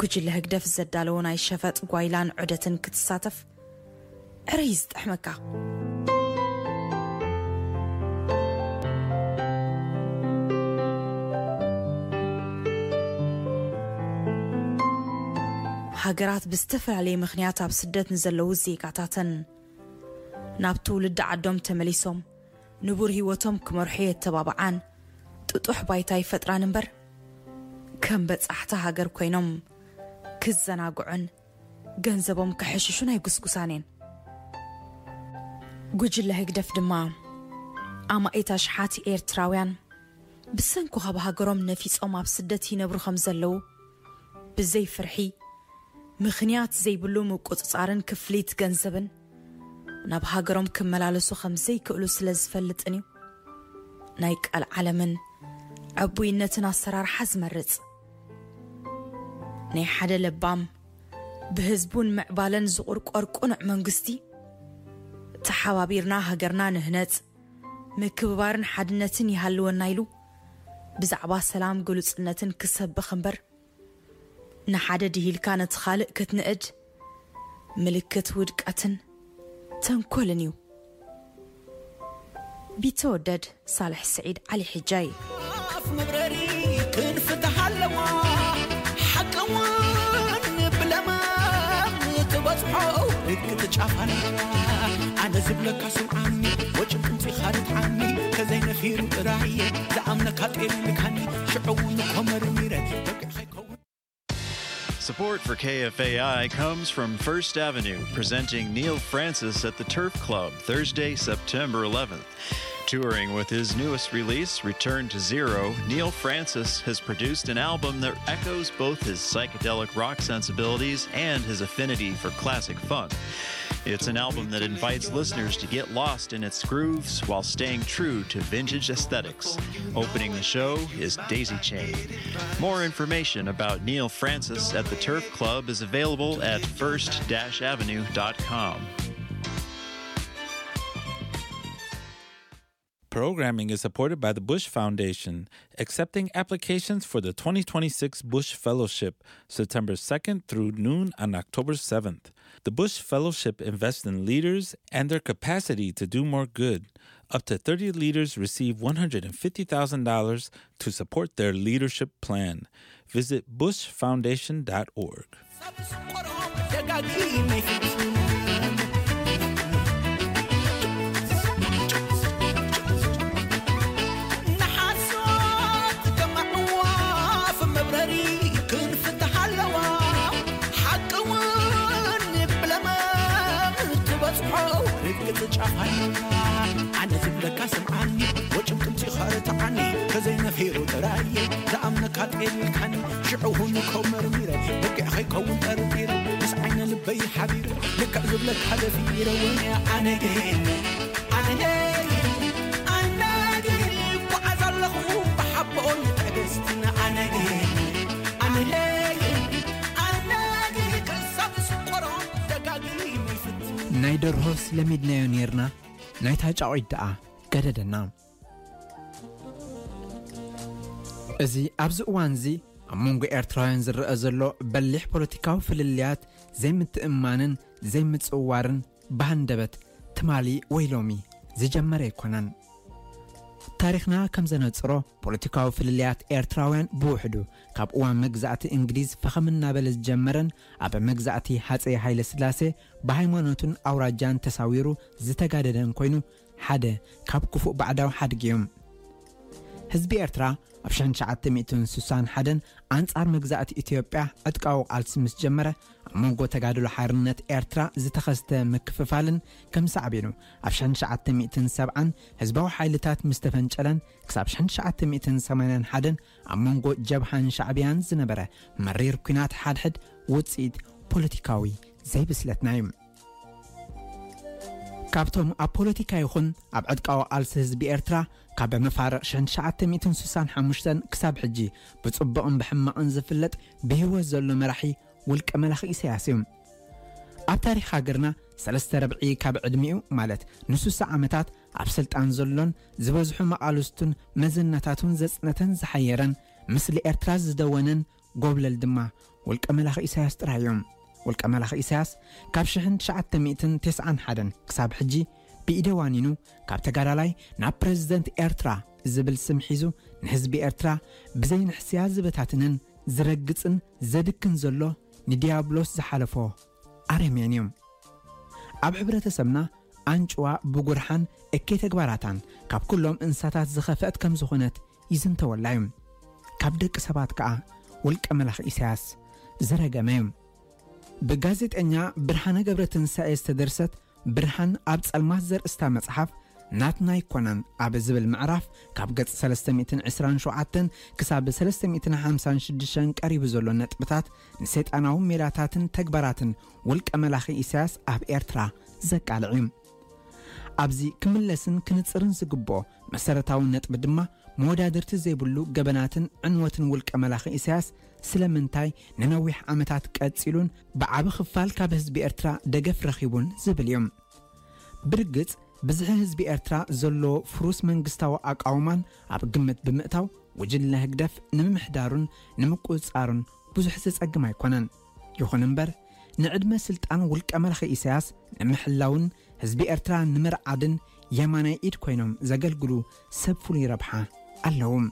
ጉጅለ ህግደፍ ዘዳለዎ ናይ ሸፈጥ ጓይላን ዑደትን ክትሳተፍ ዕረ እዩ ዝጥሕመካ። ሃገራት ብዝተፈላለየ ምኽንያት ኣብ ስደት ንዘለዉ ዜጋታተን ናብ ትውልዲ ዓዶም ተመሊሶም ንቡር ህይወቶም ክመርሑ የተባብዓን ጥጡሕ ባይታ ይፈጥራን እምበር፣ ከም በጻሕቲ ሃገር ኮይኖም ክዘናግዑን ገንዘቦም ከሐሽሹ ናይ ጉስጉሳን እየን። ጉጅለ ህግደፍ ድማ ኣማኢት ኣሽሓት ኤርትራውያን ብሰንኩ ካብ ሃገሮም ነፊጾም ኣብ ስደት ይነብሩ ከም ዘለዉ ብዘይ ፍርሒ፣ ምኽንያት ዘይብሉ ምቁጽጻርን ክፍሊት ገንዘብን ናብ ሃገሮም ክመላለሱ ከም ዘይክእሉ ስለ ዝፈልጥን እዩ ናይ ቀልዓለምን ዕቡይነትን ኣሰራርሓ ዝመርጽ። ናይ ሓደ ለባም፣ ብህዝቡን ምዕባለን ዝቑርቆር ቅኑዕ መንግስቲ፣ ተሓባቢርና ሃገርና ንህነጽ፣ ምክብባርን ሓድነትን ይሃልወና ኢሉ ብዛዕባ ሰላም ግሉጽነትን ክሰብኽ እምበር፣ ንሓደ ድሂልካ ነቲ ካልእ ክትንእድ ምልክት ውድቀትን ተንኮልን እዩ። ቢተወደድ ሳልሕ ስዒድ ዓሊ ሕጃይ። ኣፍ መብረሪ ክንፍትሕ ኣለዋ፣ ሓቂ እውን ብለማም ትበጽሖ ርግጥ ጫፍ ኣለዋ። ኣነ ዝብለካ ስምዓኒ፣ ወጭን ጥምፂኻ ርትዓኒ፣ ከዘይነፊሩ ጥራየ ዝኣምነካ ጤል ልካኒ፣ ሽዑ እውን እኮ መርሚረ በቅዕ ከይከውን። Support for K F A I comes from First Avenue, presenting Neil Francis at the Turf Club, Thursday, September eleventh. Touring with his newest release, Return to Zero, Neil Francis has produced an album that echoes both his psychedelic rock sensibilities and his affinity for classic funk. It's an album that invites listeners to get lost in its grooves while staying true to vintage aesthetics. Opening the show is Daisy Chain. More information about Neil Francis at the Turf Club is available at first dash avenue dot com. Programming is supported by the Bush Foundation, accepting applications for the twenty twenty-six Bush Fellowship, September second through noon on October seventh. The Bush Fellowship invests in leaders and their capacity to do more good. Up to thirty leaders receive one hundred fifty thousand dollars to support their leadership plan. Visit bush foundation dot org. ርግጽ ጫፍ ኣለዋ። ኣነ ዝብለካ ስምዓኒ፣ ወጭም ጥምጺ ኸርትዓኒ፣ ከዘይነፊሩ ጥራይ ዝኣምነካ ጤልካኒ፣ ሽዑ ሁን እኮ መርሚረ፣ በቂዕ ኸይከውን ጠርጢረ፣ ምስ ዓይነ ልበይ ሓቢረ፣ ልክዕ ዝብለካ ደፊረ፣ ወነ ኣነ ግን፣ ኣነ ግን፣ ኣነ ግን፣ ጓዓዝ ኣለኹ ብሓቦን ትዕግስትን፣ ኣነ ግን፣ ኣነ ግን፣ ኣነ ግን፣ ክሳብ ዝቆሮ ደጋጊመ ይፍትን። ናይ ደርሆስ ለሚድናዮ ኔርና፣ ናይታ ጫቑት ደኣ ገደደና። እዚ ኣብዚ እዋንዚ ኣብ መንጎ ኤርትራውያን ዝረኣ ዘሎ በሊሕ ፖለቲካዊ ፍልልያት፣ ዘይምትእምማንን ዘይምጽውዋርን ብሃንደበት ትማሊ ወይ ሎሚ ዝጀመረ ኣይኮነን። ታሪኽና ከም ዘነጽሮ፣ ፖለቲካዊ ፍልልያት ኤርትራውያን ብውሕዱ ካብ እዋን መግዛእቲ እንግሊዝ ፈኸም እናበለ ዝጀመረን ኣብ መግዛእቲ ሃጸይ ሃይለ ስላሴ ብሃይማኖትን ኣውራጃን ተሳዊሩ ዝተጋደደን ኮይኑ፣ ሓደ ካብ ክፉእ ባዕዳዊ ሓድጊ እዩ። ህዝቢ ኤርትራ ኣብ ሽሕን ትሽዓተ ሚእትን ስሳን ሓደን ኣንጻር መግዛእቲ ኢትዮጵያ ዕጥቃዊ ቃልሲ ምስ ጀመረ፣ ኣብ መንጎ ተጋድሎ ሓርነት ኤርትራ ዝተኸስተ ምክፍፋልን ከም ሳዕቤኑ፣ ኣብ ሽሕን ትሽዓተ ሚእትን ሰብዓን ህዝባዊ ሓይልታት ምስ ተፈንጨለን ክሳብ ሽሕን ትሽዓተ ሚእትን ሰማንያን ሓደን ኣብ መንጎ ጀብሃን ሻዕብያን ዝነበረ መሪር ኲናት ሓድሕድ ውጽኢት ፖለቲካዊ ዘይብስለትና እዩ። ካብቶም ኣብ ፖለቲካ ይኹን ኣብ ዕጥቃዊ ቃልሲ ህዝቢ ኤርትራ ካብ መፋርቕ ሽሕን ትሽዓተ ሚእትን ስሳን ሓሙሽተን ክሳብ ሕጂ ብጽቡቕን ብሕማቕን ዝፍለጥ ብህይወት ዘሎ መራሒ ውልቀ መላኺ ኢሳያስ እዩ። ኣብ ታሪኽ ሃገርና ሰለስተ ረብዒ ካብ ዕድሚኡ፣ ማለት ንስሳ ዓመታት ኣብ ስልጣን ዘሎን ዝበዝሑ መቓልስቱን መዘናታቱን ዘጽነተን ዝሓየረን፣ ምስሊ ኤርትራ ዝደወነን ጎብለል ድማ ውልቀ መላኺ ኢሳያስ ጥራይ እዩ። ውልቀ መላኺ ኢሳያስ ካብ ሽሕን ትሽዓተ ሚእትን ተስዓን ሓደን ክሳብ ሕጂ ብኢደ ዋኒኑ ካብ ተጋዳላይ ናብ ፕረዚደንት ኤርትራ ዝብል ስም ሒዙ ንህዝቢ ኤርትራ ብዘይ ንሕስያ ዝበታትንን ዝረግጽን ዘድክን ዘሎ፣ ንዲያብሎስ ዝሓለፎ ኣረሜን እዩ። ኣብ ሕብረተሰብና ኣንጭዋ ብጉርሓን እከይ ተግባራታን ካብ ኩሎም እንስሳታት ዝኸፍአት ከም ዝኾነት ይዝንተወላ እዩ። ካብ ደቂ ሰባት ከኣ ውልቀ መላኺ ኢሳያስ ዝረገመ እዩ። ብጋዜጠኛ ብርሃነ ገብረትንሳኤ ዝተደርሰት ብርሃን ኣብ ጸልማት ዘርእስታ መጽሓፍ፣ ናትና ኣይኮነን ኣብ ዝብል ምዕራፍ፣ ካብ ገጽ ሰለስተ ሚእትን ዕስራን ሸውዓተን ክሳብ ሰለስተ ሚእትን ሓምሳን ሽዱሽተን ቀሪቡ ዘሎ ነጥብታት፣ ንሰይጣናዊ ሜላታትን ተግባራትን ውልቀ መላኺ ኢሳያስ ኣብ ኤርትራ ዘቃልዕ እዩ። ኣብዚ ክምለስን ክንጽርን ዝግብኦ መሰረታዊ ነጥቢ ድማ፣ መወዳድርቲ ዘይብሉ ገበናትን ዕንወትን ውልቀ መላኺ ኢሳያስ ስለምንታይ ንነዊሕ ዓመታት ቀጺሉን ብዓቢ ክፋል ካብ ህዝቢ ኤርትራ ደገፍ ረኺቡን ዝብል እዩ። ብርግጽ፣ ብዝሒ ህዝቢ ኤርትራ ዘለዎ ፍሩስ መንግስታዊ ኣቃውማን ኣብ ግምት ብምእታው፣ ጉጅለ ህግደፍ ንምምሕዳሩን ንምቁጽጻሩን ብዙሕ ዘጸግም ኣይኮነን። ይኹን እምበር፣ ንዕድመ ስልጣን ውልቀ መላኺ ኢሳያስ ንምሕላውን ህዝቢ ኤርትራ ንምርዓድን የማናይ ኢድ ኮይኖም ዘገልግሉ ሰብ ፍሉይ ረብሓ ኣለዎም።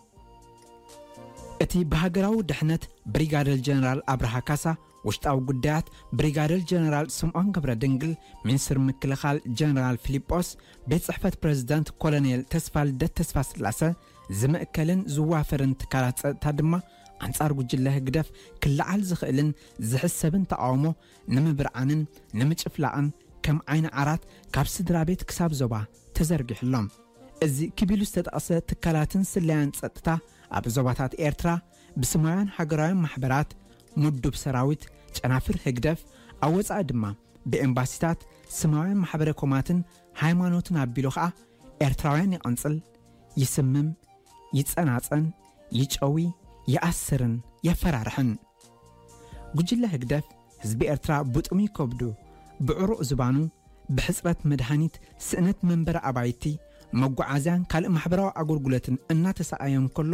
እቲ ብሃገራዊ ድሕነት ብሪጋደር ጀነራል ኣብርሃ ካሳ፣ ውሽጣዊ ጉዳያት ብሪጋደር ጀነራል ስምዖን ገብረ ድንግል፣ ሚኒስትር ምክልኻል ጀነራል ፊሊጶስ፣ ቤት ጽሕፈት ፕሬዝዳንት ኮሎኔል ተስፋልደት ተስፋስላሰ ዝምእከልን ዝዋፈርን ትካላት ጸጥታ ድማ፣ ኣንጻር ጉጅለ ህግደፍ ክለዓል ዝኽእልን ዝሕሰብን ተቓውሞ ንምብርዓንን ንምጭፍላቕን ከም ዓይኒ ዓራት ካብ ስድራ ቤት ክሳብ ዞባ ተዘርጊሑ ኣሎ። እዚ ክብ ኢሉ ዝተጠቕሰ ትካላትን ስለያን ጸጥታ ኣብ ዞባታት ኤርትራ ብስማውያን ሃገራውያን ማሕበራት፣ ምዱብ ሰራዊት፣ ጨናፍር ህግደፍ፣ ኣብ ወጻኢ ድማ ብኤምባሲታት፣ ስማውያን ማሕበረ ኮማትን ሃይማኖትን ኣቢሉ ኸኣ ኤርትራውያን ይቐንጽል፣ ይስምም፣ ይጸናጸን፣ ይጨዊ፣ ይኣስርን የፈራርሕን። ጉጅለ ህግደፍ ህዝቢ ኤርትራ ብጥሙይ ከብዱ፣ ብዕሩቕ ዝባኑ፣ ብሕጽረት መድሃኒት፣ ስእነት መንበሪ ኣባይቲ፣ መጓዓዝያን ካልእ ማሕበራዊ ኣገልግሎትን እናተሰኣየ እንከሎ፣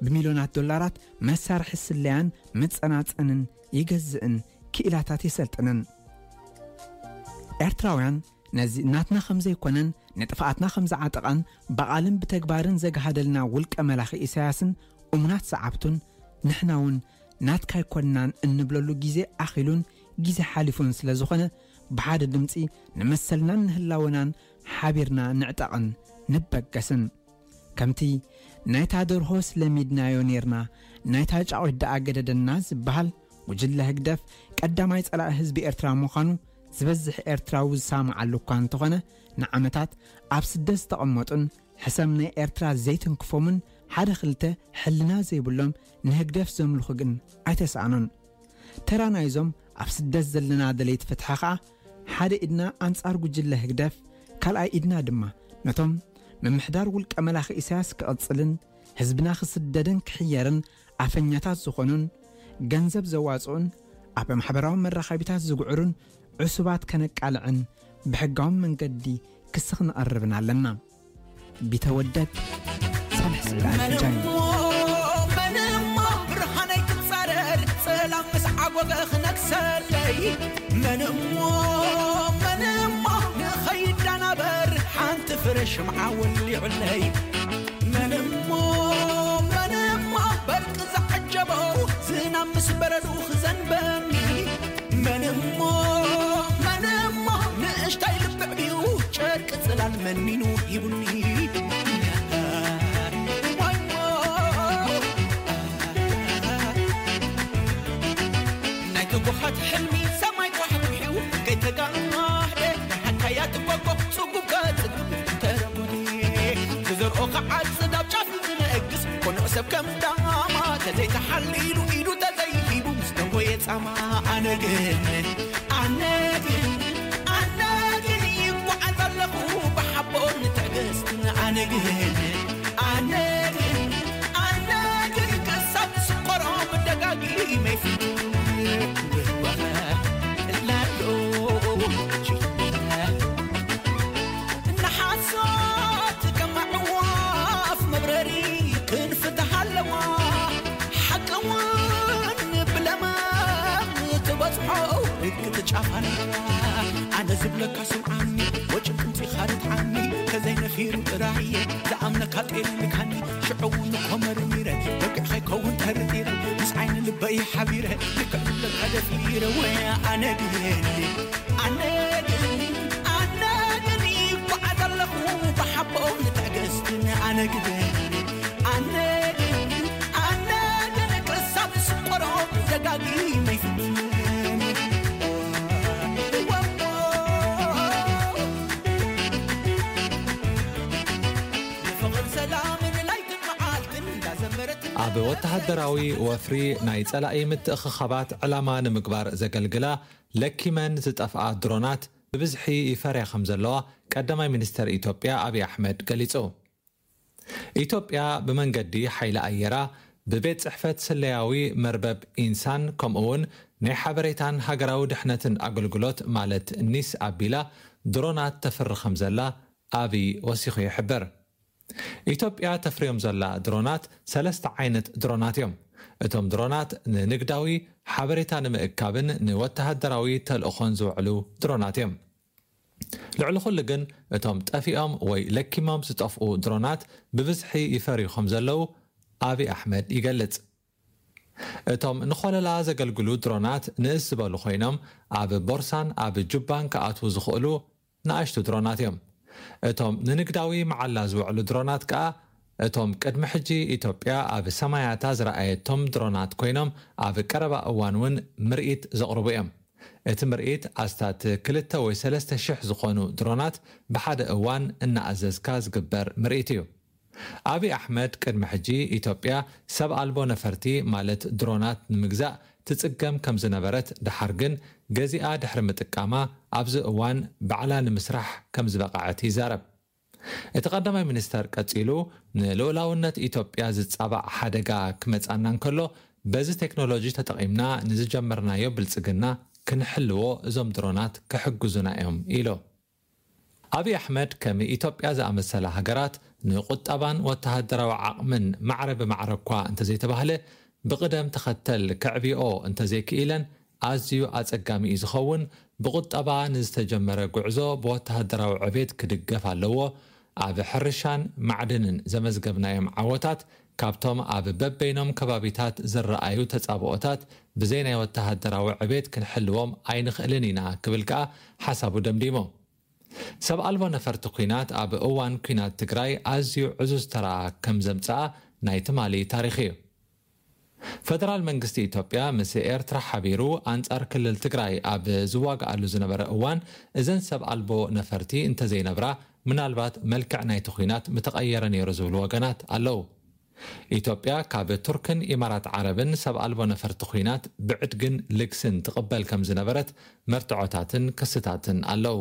ብሚልዮናት ዶላራት መሳርሒ ስለያን መጸናጸንን ይገዝእን ክኢላታት የሰልጥንን። ኤርትራውያን ነዚ ናትና ከም ዘይኮነን ንጥፍኣትና ከም ዝዓጠቓን ብቓልን ብተግባርን ዘግሃደልና ውልቀ መላኺ ኢሳያስን እሙናት ሰዓብቱን፣ ንሕና እውን ናትካ ኣይኮንናን እንብለሉ ግዜ ኣኺሉን ግዜ ሓሊፉን ስለ ዝኾነ፣ ብሓደ ድምጺ ንመሰልናን ንህላወናን ሓቢርና ንዕጠቕን ንበገስን። ከምቲ ናይታ ደርሆስ ለሚድናዮ ኔርና፣ ናይታ ጫቑት ደኣ ገደደና ዝበሃል፣ ጉጅለ ህግደፍ ቀዳማይ ጸላኢ ህዝቢ ኤርትራ ምዃኑ ዝበዝሕ ኤርትራዊ ዝሰማዓሉ እኳ እንተኾነ፣ ንዓመታት ኣብ ስደት ዝተቐመጡን ሕሰም ናይ ኤርትራ ዘይትንክፎምን ሓደ ክልተ ሕልና ዘይብሎም ንህግደፍ ዘምልኹ ግን ኣይተሳእኑን። ተራ ናይዞም ኣብ ስደት ዘለና ደለይቲ ፍትሒ ኸኣ፣ ሓደ ኢድና ኣንጻር ጉጅለ ህግደፍ፣ ካልኣይ ኢድና ድማ ነቶም ምምሕዳር ውልቀ መላኺ ኢሳያስ ክቕጽልን ህዝብና ክስደድን ክሕየርን ኣፈኛታት ዝኾኑን፣ ገንዘብ ዘዋጽኡን ኣብ ማሕበራዊ መራኸቢታት ዝግዕሩን ዕሱባት ከነቃልዕን ብሕጋዊ መንገዲ ክሲ ክንቐርብን ኣለና። ቢተወደድ ሳልሕ ስዒድ ኣልፍጃኒ። መንሞ ብርሃነይ ክጻረር፣ ጸላም ምስ ዓጎገ ክነግሰለይ። መንሞ መንሞ ንኸይዳናበር፣ ሓንቲ ፍረ ሽምዓ ወሊዑለይ። መንሞ መንሞ በርቂ ዝዓጀቦ፣ ዝናብ ምስ በረዱ ክዘንበኒ። መንሞ መንሞ ንእሽታይ ልብዕብዩ፣ ጨርቂ ጽላል መኒኑ ሂቡኒ። ዋይሞ ናይ ትጉሃት ሕልሚ ሰማይ ኳሕኩሒው ከይተጋህደ፣ ሓካያ ትጓጓ ጽጉብ ከጽግብ ተረጉዲ። ዝዘርኦ ክዓጽድ ኣብ ጫፍ ዝነግስ፣ ቅኑዕ ሰብ ከም ዳማ ተዘይተሓሊሉ፣ ኢዱ ተዘይሂቡ ምስ ደንጎየ ጻማ። ኣነ ግን፣ ኣነ ግን፣ ኣነ ግን ይጓዓዝ ኣለኹ ብሓቦን ትዕግስትን። ኣነ ግን፣ ኣነ ግን፣ ኣነ ግን ክሳብ ዝስቆሮ ደጋጊመ ይፍትን። ላሎ ንሓሶት ከም ኣዕዋፍ መብረሪ ክንፍትሕ ኣለዋ። ሓቂ እውን ብለመም ትበጽሖ ርግጥ ጫፍ ኣለዋ። ኣነ ዝብለካ ስምዓኒ፣ ወጭ ቅምጺኻ ርትዓኒ። ተዘይነፊሩ ጥራየ ዝኣምነካ ጤል ልካኒ። ሽዑ እውን እኮ መርሚረ በቂዕ ከይከውን ጠርጢረ። ምስ ዓይኒ ልበይ ሓቢረ ልክዕ ዝብለካ ደፊረ። ወይ ኣነ ግን ኣነ ግን ኣነ ግን ይጓዓዝ ኣለኹ ብሓቦን ትዕግስትን። ኣነ ግን ኣነ ግን ኣነ ግን ክሳብ ዝስቆሮ ደጋጊመ ይፍትን። ኣብ ወተሃደራዊ ወፍሪ ናይ ጸላኢ ምትእኽኻባት ዕላማ ንምግባር ዘገልግላ ለኪመን ዝጠፍኣ ድሮናት ብብዝሒ ይፈርያ ከም ዘለዋ ቀዳማይ ሚኒስተር ኢትዮጵያ ኣብይ ኣሕመድ ገሊጹ። ኢትዮጵያ ብመንገዲ ሓይሊ ኣየራ፣ ብቤት ጽሕፈት ስለያዊ መርበብ ኢንሳን ከምኡ እውን ናይ ሓበሬታን ሃገራዊ ድሕነትን ኣገልግሎት ማለት ኒስ ኣቢላ ድሮናት ተፍሪ ከም ዘላ ኣብይ ወሲኹ ይሕብር። ኢትዮጵያ ተፍርዮም ዘላ ድሮናት ሰለስተ ዓይነት ድሮናት እዮም። እቶም ድሮናት ንንግዳዊ ሓበሬታ ንምእካብን ንወተሃደራዊ ተልእኾን ዝውዕሉ ድሮናት እዮም። ልዕሊ ኩሉ ግን እቶም ጠፊኦም ወይ ለኪሞም ዝጠፍኡ ድሮናት ብብዝሒ ይፈርዩ ከም ዘለዉ ኣብይ ኣሕመድ ይገልጽ። እቶም ንኾለላ ዘገልግሉ ድሮናት ንእስ ዝበሉ ኮይኖም ኣብ ቦርሳን ኣብ ጁባን ክኣትዉ ዝኽእሉ ንኣሽቱ ድሮናት እዮም። እቶም ንንግዳዊ መዓላ ዝውዕሉ ድሮናት ከኣ እቶም ቅድሚ ሕጂ ኢትዮጵያ ኣብ ሰማያታ ዝረኣየቶም ድሮናት ኮይኖም ኣብ ቀረባ እዋን እውን ምርኢት ዘቕርቡ እዮም። እቲ ምርኢት ኣስታት ክልተ ወይ ሰለስተ ሽሕ ዝኾኑ ድሮናት ብሓደ እዋን እናኣዘዝካ ዝግበር ምርኢት እዩ። ኣብይ ኣሕመድ ቅድሚ ሕጂ ኢትዮጵያ ሰብ ኣልቦ ነፈርቲ ማለት ድሮናት ንምግዛእ ትጽገም ከም ዝነበረት፣ ደሓር ግን ገዚኣ ድሕሪ ምጥቃማ ኣብዚ እዋን ባዕላ ንምስራሕ ከም ዝበቕዐት ይዛረብ። እቲ ቀዳማይ ሚኒስተር ቀጺሉ፣ ንልኡላውነት ኢትዮጵያ ዝጻባእ ሓደጋ ክመጻና እንከሎ፣ በዚ ቴክኖሎጂ ተጠቒምና ንዝጀመርናዮ ብልጽግና ክንሕልዎ እዞም ድሮናት ክሕግዙና እዮም ኢሉ። ኣብይ ኣሕመድ ከም ኢትዮጵያ ዝኣመሰላ ሃገራት ንቁጠባን ወተሃደራዊ ዓቕምን ማዕረ ብማዕረ እኳ እንተዘይተባህለ፣ ብቕደም ተኸተል ከዕብይኦ እንተዘይክኢለን ኣዝዩ ኣጸጋሚ እዩ ዝኸውን። ብቁጠባ ንዝተጀመረ ጉዕዞ ብወተሃደራዊ ዕቤት ክድገፍ ኣለዎ። ኣብ ሕርሻን ማዕድንን ዘመዝገብናዮም ዓወታት ካብቶም ኣብ በበይኖም ከባቢታት ዝረኣዩ ተጻብኦታት ብዘይ ናይ ወተሃደራዊ ዕቤት ክንሕልዎም ኣይንኽእልን ኢና ክብል ከኣ ሓሳቡ ደምዲሙ። ሰብ ኣልቦ ነፈርቲ ኲናት ኣብ እዋን ኲናት ትግራይ ኣዝዩ ዕዙዝ ተራ ከም ዘምጽኣ ናይ ትማሊ ታሪኽ እዩ። ፈደራል መንግስቲ ኢትዮጵያ ምስ ኤርትራ ሓቢሩ ኣንጻር ክልል ትግራይ ኣብ ዝዋግኣሉ ዝነበረ እዋን እዘን ሰብ ኣልቦ ነፈርቲ እንተዘይነብራ ምናልባት መልክዕ ናይቲ ኲናት ምተቐየረ ነይሩ ዝብሉ ወገናት ኣለዉ። ኢትዮጵያ ካብ ቱርክን ኢማራት ዓረብን ሰብ ኣልቦ ነፈርቲ ኲናት ብዕድግን ልግስን ትቕበል ከም ዝነበረት መርትዖታትን ክስታትን ኣለዉ።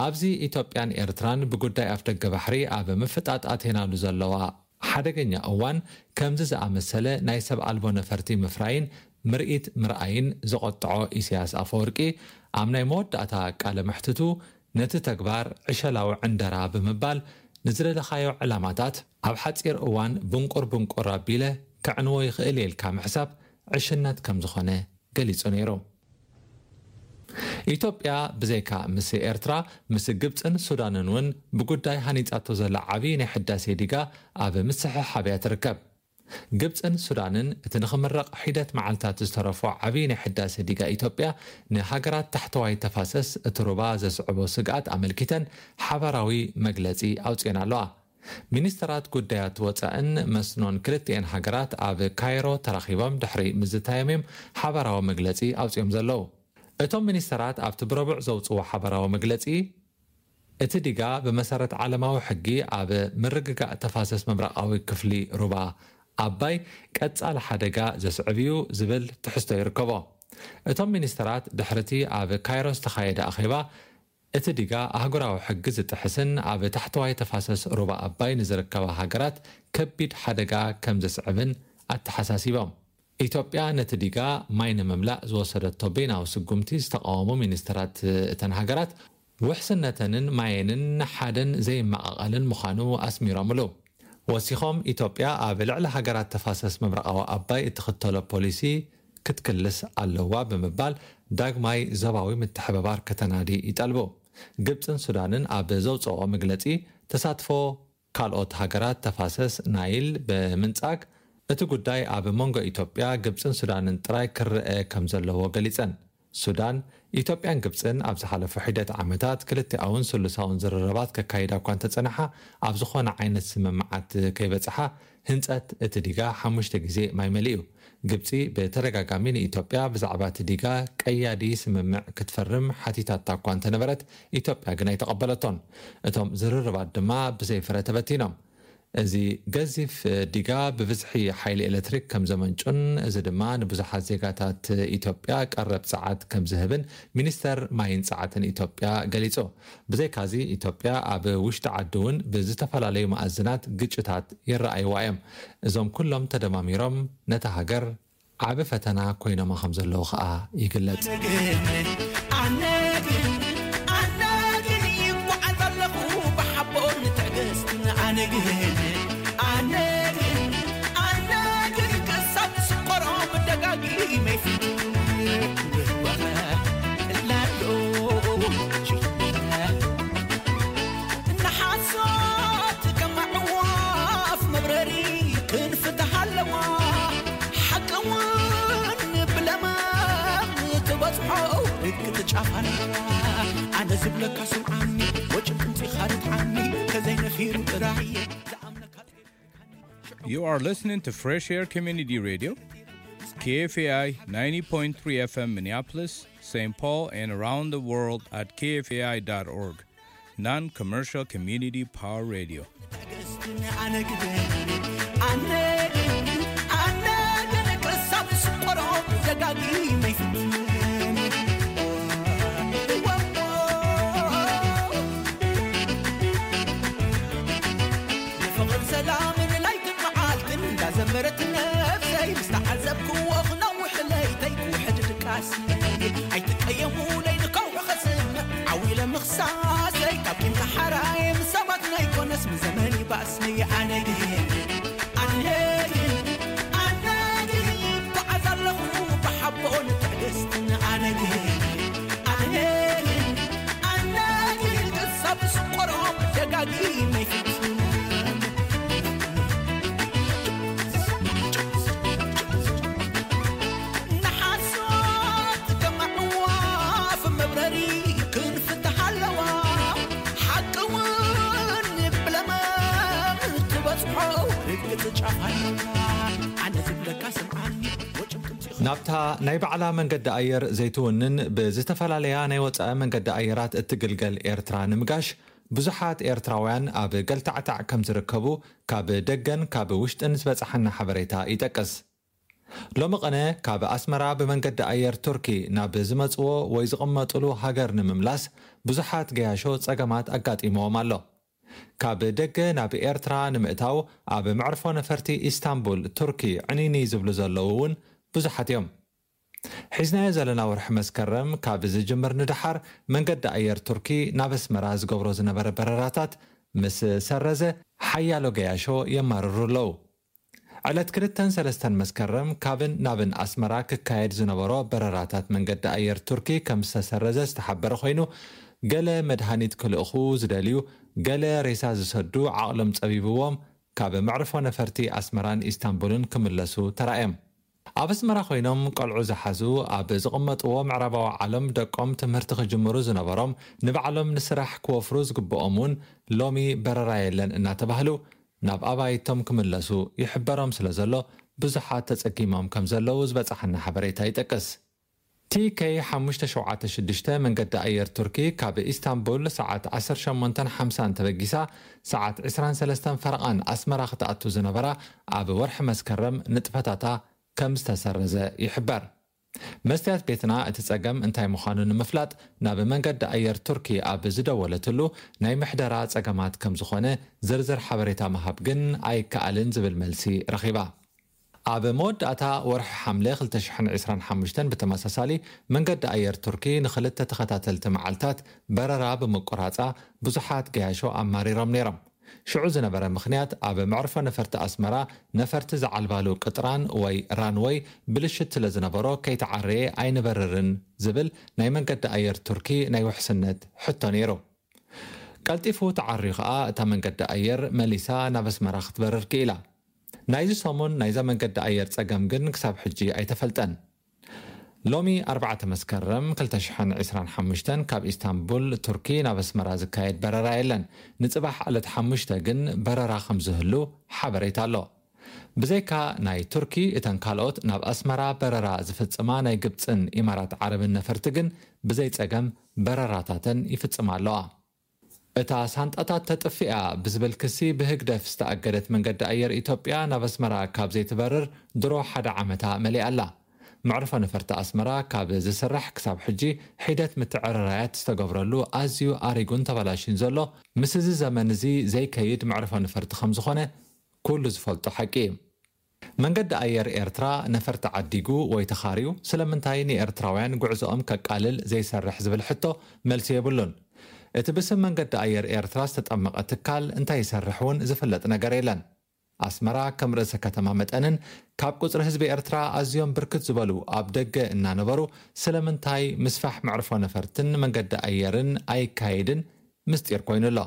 ኣብዚ ኢትዮጵያን ኤርትራን ብጉዳይ ኣፍደገ ባሕሪ ኣብ ምፍጣጥ ኣትየናሉ ዘለዋ ሓደገኛ እዋን ከምዚ ዝኣመሰለ ናይ ሰብ ኣልቦ ነፈርቲ ምፍራይን ምርኢት ምርኣይን ዘቖጥዖ ኢሳያስ ኣፈወርቂ ኣብ ናይ መወዳእታ ቃለ መሕትቱ ነቲ ተግባር ዕሸላዊ ዕንደራ ብምባል ንዝደለኻዮ ዕላማታት ኣብ ሓጺር እዋን ብንቁር ብንቁር ኣቢለ ከዕንዎ ይኽእል እየ ኢልካ ምሕሳብ ዕሽነት ከም ዝኾነ ገሊጹ ነይሩ። ኢትዮጵያ ብዘይካ ምስ ኤርትራ ምስ ግብጽን ሱዳንን እውን ብጉዳይ ሃኒጻቶ ዘላ ዓብዪ ናይ ሕዳሴ ዲጋ ኣብ ምስሕሓብ እያ ትርከብ። ግብጽን ሱዳንን እቲ ንኽምረቕ ሒደት መዓልታት ዝተረፎ ዓብዪ ናይ ሕዳሴ ዲጋ ኢትዮጵያ ንሃገራት ታሕተዋይ ተፋሰስ እቲ ሩባ ዘስዕቦ ስግኣት ኣመልኪተን ሓባራዊ መግለጺ ኣውጺኤን ኣለዋ። ሚኒስተራት ጉዳያት ወጻእን መስኖን ክልቲኤን ሃገራት ኣብ ካይሮ ተራኺቦም ድሕሪ ምዝታዮም እዮም ሓባራዊ መግለጺ ኣውጺኦም ዘለዉ። እቶም ሚኒስተራት ኣብቲ ብረቡዕ ዘውጽዎ ሓባራዊ መግለጺ፣ እቲ ዲጋ ብመሰረት ዓለማዊ ሕጊ ኣብ ምርግጋእ ተፋሰስ ምብራቓዊ ክፍሊ ሩባ ኣባይ ቀጻሊ ሓደጋ ዘስዕብ እዩ ዝብል ትሕዝቶ ይርከቦ። እቶም ሚኒስተራት ድሕርቲ ኣብ ካይሮ ዝተኻየደ ኣኼባ፣ እቲ ዲጋ ኣህጉራዊ ሕጊ ዝጥሕስን ኣብ ታሕተዋይ ተፋሰስ ሩባ ኣባይ ንዝርከባ ሃገራት ከቢድ ሓደጋ ከም ዘስዕብን ኣተሓሳሲቦም። ኢትዮጵያ ነቲ ዲጋ ማይ ንምምላእ ዝወሰደቶ በይናዊ ስጉምቲ ዝተቃወሙ ሚኒስተራት እተን ሃገራት፣ ውሕስነተንን ማየንን ሓደን ዘይመቓቐልን ምዃኑ ኣስሚሮምሉ። ወሲኾም፣ ኢትዮጵያ ኣብ ልዕሊ ሃገራት ተፋሰስ ምብራቓዊ ኣባይ እትኽተሎ ፖሊሲ ክትክልስ ኣለዋ ብምባል ዳግማይ ዞባዊ ምትሕብባር ከተናዲ ይጠልቡ። ግብጽን ሱዳንን ኣብ ዘውጽኦ መግለጺ፣ ተሳትፎ ካልኦት ሃገራት ተፋሰስ ናይል ብምንጻግ፣ እቲ ጉዳይ ኣብ መንጎ ኢትዮጵያ፣ ግብጽን ሱዳንን ጥራይ ክረአ ከም ዘለዎ ገሊጸን። ሱዳን፣ ኢትዮጵያን ግብጽን ኣብ ዝሓለፉ ሒደት ዓመታት ክልቲኣውን ስሉሳውን ዝርርባት ከካይዳ እኳ እንተጸንሓ፣ ኣብ ዝኾነ ዓይነት ስምምዓት ከይበጽሓ፣ ህንጸት እቲ ዲጋ ሓሙሽተ ግዜ ማይ መሊኡ። ግብጺ ብተደጋጋሚ ንኢትዮጵያ ብዛዕባ እቲ ዲጋ ቀያዲ ስምምዕ ክትፈርም ሓቲታታ እኳ እንተነበረት፣ ኢትዮጵያ ግን ኣይተቐበለቶን። እቶም ዝርርባት ድማ ብዘይ ፍረ ተበቲኖም። እዚ ገዚፍ ዲጋ ብብዝሒ ሓይሊ ኤሌክትሪክ ከም ዘመንጩን፣ እዚ ድማ ንብዙሓት ዜጋታት ኢትዮጵያ ቀረብ ጸዓት ከም ዝህብን ሚኒስተር ማይን ጸዓትን ኢትዮጵያ ገሊጹ። ብዘይካዚ፣ ኢትዮጵያ ኣብ ውሽጢ ዓዲ እውን ብዝተፈላለዩ መኣዝናት ግጭታት ይረኣይዋ እዮም። እዞም ኩሎም ተደማሚሮም ነታ ሃገር ዓቢ ፈተና ኮይኖማ ከም ዘለዉ ከኣ ይግለጽ። ኣነ ግን፣ ኣነ ግን፣ ኣነ ግን ይጓዓዝ ኣለኹ ብሓቦን ትዕግስትን። ኣነ ግን፣ ኣነ ግን፣ ኣነ ግን፣ ክሳብ ዝስቆሮም ደጋጊመ ይፍትን። ላሎ ንሓሶት ከም ኣዕዋፍ መብረሪ ክንፍትሃ ኣለዋ። ሓቂ እውን ብለማም ትበጽሖ ርግጥ ጫፍ ኣለዋ። ኣነ ዝብለካ ስምዓኒ፣ ወጭ ድምፂኻ ርትዓኒ፣ ከዘይነፊሩ ጥራይ እየ ዝኣምነካ። You are listening to Fresh Air Community Radio, K F A I ninety point three F M Minneapolis, Saint Paul, and around the world at K F A I dot org. Non-commercial community power radio. ኣነ ግን፣ ኣነ ግን፣ ኣነ ግን ክሳብ ዝስቆሮ ደጋጊመ ይፍትን። ንፍቕርን ሰላምን ለይትን መዓልትን እንዳዘመረት ነፍሰይ፣ ምስ ተዓዘብክዎ ክነውሕ ለይተይ ክውሕድ ድቃስ። ኣይትቀየሙለይ ንከውሒ ከስምዕ ዓው ኢለ ምኽሳሰይ፣ ካብ ቂም ተሓራየ ምስ ሰባት ናይኮነስ ምስ ዘመን ይባእስ። ኣነ ግን፣ ኣነ ግን፣ ኣነ ግን ይጓዓዝ ኣለኹ ብሓቦን ትዕግስትን። ኣነ ግን፣ ኣነ ግን፣ ኣነ ግን ክሳብ ዝስቆሮም ደጋጊመ ይፍትን። ንሓሶት ከም ኣዕዋፍ መብረሪ ክንፍትሓ ኣለዋ። ሓቂ እውን ብለማም ትበጽሖ ርግጽ ጫፍ ኣለዋ። ኣነ ዝብለካ ስምዓኒ፣ ወጭም ትምፂ ናብታ ናይ ባዕላ መንገዲ ኣየር ዘይትውንን ብዝተፈላለያ ናይ ወጻኢ መንገዲ ኣየራት እትግልገል ኤርትራ ንምጋሽ ብዙሓት ኤርትራውያን ኣብ ገልታዕታዕ ከም ዝርከቡ ካብ ደገን ካብ ውሽጥን ዝበጽሓና ሓበሬታ ይጠቅስ። ሎሚ ቅነ ካብ ኣስመራ ብመንገዲ ኣየር ቱርኪ ናብ ዝመጽዎ ወይ ዝቕመጥሉ ሃገር ንምምላስ ብዙሓት ገያሾ ጸገማት ኣጋጢምዎም ኣሎ። ካብ ደገ ናብ ኤርትራ ንምእታው ኣብ መዕርፎ ነፈርቲ ኢስታንቡል ቱርኪ ዕንይንይ ዝብሉ ዘለዉ እውን ብዙሓት እዮም። ሒዝናዮ ዘለና ወርሒ መስከረም ካብ ዝጅምር ንደሓር መንገዲ ኣየር ቱርኪ ናብ ኣስመራ ዝገብሮ ዝነበረ በረራታት ምስ ሰረዘ ሓያሎ ገያሾ የማርሩ ኣለዉ። ዕለት ክልተን ሰለስተን መስከረም ካብን ናብን ኣስመራ ክካየድ ዝነበሮ በረራታት መንገዲ ኣየር ቱርኪ ከም ዝተሰረዘ ዝተሓበረ ኮይኑ፣ ገለ መድሃኒት ክልእኹ ዝደልዩ፣ ገለ ሬሳ ዝሰዱ ዓቕሎም ጸቢብዎም ካብ መዕርፎ ነፈርቲ ኣስመራን ኢስታንቡልን ክምለሱ ተራእዮም። ኣብ ኣስመራ ኮይኖም ቆልዑ ዝሓዙ፣ ኣብ ዝቕመጥዎ ምዕራባዊ ዓለም ደቆም ትምህርቲ ክጅምሩ ዝነበሮም፣ ንባዕሎም ንስራሕ ክወፍሩ ዝግብኦም እውን ሎሚ በረራ የለን እናተባህሉ ናብ ኣባይቶም ክምለሱ ይሕበሮም ስለ ዘሎ ብዙሓት ተጸጊሞም ከም ዘለዉ ዝበጽሓና ሓበሬታ ይጠቅስ። ቲ ኬይ ሓሙሽተ ሸውዓተ ሽዱሽተ መንገዲ ኣየር ቱርኪ ካብ ኢስታንቡል ሰዓት ዓሰርተ ሸሞንተን ሓምሳን ተበጊሳ ሰዓት ዕስራን ሰለስተን ፈረቓን ኣስመራ ክትኣቱ ዝነበራ ኣብ ወርሒ መስከረም ንጥፈታታ ከም ዝተሰረዘ ይሕበር። መስትያት ቤትና እቲ ጸገም እንታይ ምዃኑ ንምፍላጥ ናብ መንገዲ ኣየር ቱርኪ ኣብ ዝደወለትሉ ናይ ምሕደራ ጸገማት ከም ዝኾነ ዝርዝር ሓበሬታ ምሃብ ግን ኣይከኣልን ዝብል መልሲ ረኺባ። ኣብ መወዳእታ ወርሒ ሓምለ ክልተ ሽሕን ዕስራን ሓሙሽተን ብተመሳሳሊ መንገዲ ኣየር ቱርኪ ንኽልተ ተኸታተልቲ መዓልታት በረራ ብምቁራጻ ብዙሓት ገያሾ ኣማሪሮም ነይሮም። ሽዑ ዝነበረ ምኽንያት ኣብ መዕርፎ ነፈርቲ ኣስመራ ነፈርቲ ዝዓልባሉ ቅጥራን ወይ ራንወይ ብልሽት ስለ ዝነበሮ ከይተዓረየ ኣይንበርርን ዝብል ናይ መንገዲ ኣየር ቱርኪ ናይ ውሕስነት ሕቶ ነይሩ። ቀልጢፉ ተዓርዩ ከኣ እታ መንገዲ ኣየር መሊሳ ናብ ኣስመራ ክትበርር ክኢላ። ናይዚ ሰሙን ናይዛ መንገዲ ኣየር ጸገም ግን ክሳብ ሕጂ ኣይተፈልጠን። ሎሚ ኣርባዕተ መስከረም ክልተ ሽሕን ዕስራን ሓሙሽተን ካብ ኢስታንቡል ቱርኪ ናብ ኣስመራ ዝካየድ በረራ የለን። ንጽባሕ ዕለት ሓሙሽተ ግን በረራ ከም ዝህሉ ሓበሬታ ኣሎ። ብዘይካ ናይ ቱርኪ፣ እተን ካልኦት ናብ ኣስመራ በረራ ዝፍጽማ ናይ ግብጽን ኢማራት ዓረብን ነፈርቲ ግን ብዘይ ጸገም በረራታተን ይፍጽማ ኣለዋ። እታ ሳንጣታት ተጥፍእያ ብዝብል ክሲ ብህግደፍ ዝተኣገደት መንገዲ ኣየር ኢትዮጵያ ናብ ኣስመራ ካብ ዘይትበርር ድሮ ሓደ ዓመታ መሊኣ ኣላ። መዕርፎ ነፈርቲ ኣስመራ ካብ ዝስራሕ ክሳብ ሕጂ ሒደት ምትዕርራያት ዝተገብረሉ ኣዝዩ ኣሪጉን ተበላሽዩን ዘሎ፣ ምስ እዚ ዘመን እዚ ዘይከይድ መዕርፎ ነፈርቲ ከም ዝኾነ ኩሉ ዝፈልጦ ሓቂ እዩ። መንገዲ ኣየር ኤርትራ ነፈርቲ ዓዲጉ ወይ ተኻርዩ ስለምንታይ ንኤርትራውያን ጉዕዞኦም ከቃልል ዘይሰርሕ ዝብል ሕቶ መልሲ የብሉን። እቲ ብስም መንገዲ ኣየር ኤርትራ ዝተጠመቐ ትካል እንታይ ይሰርሕ እውን ዝፍለጥ ነገር የለን። ኣስመራ ከም ርእሰ ከተማ መጠንን ካብ ቁጽሪ ህዝቢ ኤርትራ ኣዝዮም ብርክት ዝበሉ ኣብ ደገ እናነበሩ ስለምንታይ ምስፋሕ መዕርፎ ነፈርትን መንገዲ ኣየርን ኣይካየድን ምስጢር ኮይኑ ኣሎ።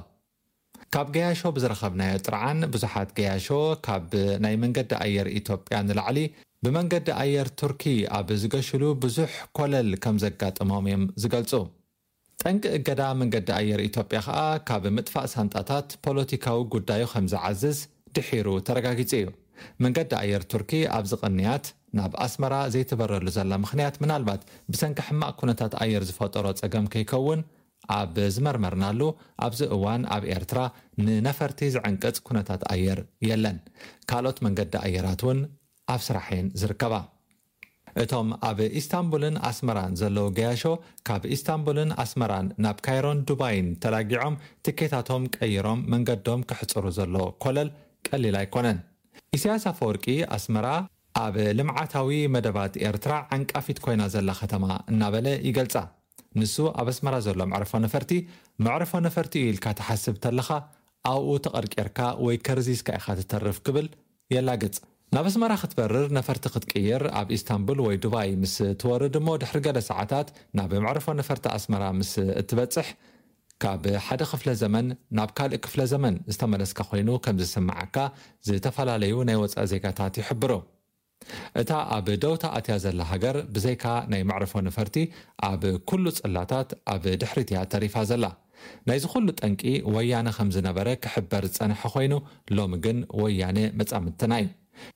ካብ ገያሾ ብዝረኸብናዮ ጥርዓን ብዙሓት ገያሾ ካብ ናይ መንገዲ ኣየር ኢትዮጵያ ንላዕሊ ብመንገዲ ኣየር ቱርኪ ኣብ ዝገሽሉ ብዙሕ ኮለል ከም ዘጋጠሞም እዮም ዝገልጹ። ጠንቂ እገዳ መንገዲ ኣየር ኢትዮጵያ ከኣ ካብ ምጥፋእ ሳንጣታት ፖለቲካዊ ጉዳዩ ከም ዝዓዝዝ ድሒሩ ተረጋጊጹ እዩ። መንገዲ ኣየር ቱርኪ ኣብዚ ቅንያት ናብ ኣስመራ ዘይትበረሉ ዘላ ምኽንያት ምናልባት ብሰንኪ ሕማቕ ኩነታት ኣየር ዝፈጠሮ ጸገም ከይከውን ኣብ ዝመርመርናሉ ኣብዚ እዋን ኣብ ኤርትራ ንነፈርቲ ዝዕንቅጽ ኩነታት ኣየር የለን። ካልኦት መንገዲ ኣየራት እውን ኣብ ስራሕ እየን ዝርከባ። እቶም ኣብ ኢስታንቡልን ኣስመራን ዘለዉ ገያሾ ካብ ኢስታንቡልን ኣስመራን ናብ ካይሮን ዱባይን ተላጊዖም ትኬታቶም ቀይሮም መንገዶም ከሕጽሩ ዘሎ ኮለል ቀሊል ኣይኮነን። ኢሳያስ ኣፈወርቂ ኣስመራ ኣብ ልምዓታዊ መደባት ኤርትራ ዓንቃፊት ኮይና ዘላ ከተማ እናበለ ይገልጻ። ንሱ ኣብ ኣስመራ ዘሎ መዕርፎ ነፈርቲ መዕርፎ ነፈርቲ እዩ ኢልካ ትሓስብ ተለኻ ኣብኡ ተቐርቂርካ ወይ ከርዚዝካ ኢኻ ትተርፍ ክብል የላግጽ። ናብ ኣስመራ ክትበርር ነፈርቲ ክትቅይር ኣብ ኢስታንቡል ወይ ዱባይ ምስ ትወርድ እሞ ድሕሪ ገለ ሰዓታት ናብ መዕርፎ ነፈርቲ ኣስመራ ምስ እትበጽሕ ካብ ሓደ ክፍለ ዘመን ናብ ካልእ ክፍለ ዘመን ዝተመለስካ ኮይኑ ከም ዝስምዓካ ዝተፈላለዩ ናይ ወጻኢ ዜጋታት ይሕብሩ። እታ ኣብ ደውታ ኣትያ ዘላ ሃገር ብዘይካ ናይ መዕርፎ ነፈርቲ ኣብ ኩሉ ጽላታት ኣብ ድሕሪት እያ ተሪፋ ዘላ። ናይዚ ኩሉ ጠንቂ ወያነ ከም ዝነበረ ክሕበር ዝጸንሐ ኮይኑ ሎሚ ግን ወያነ መጻምድትና እዩ።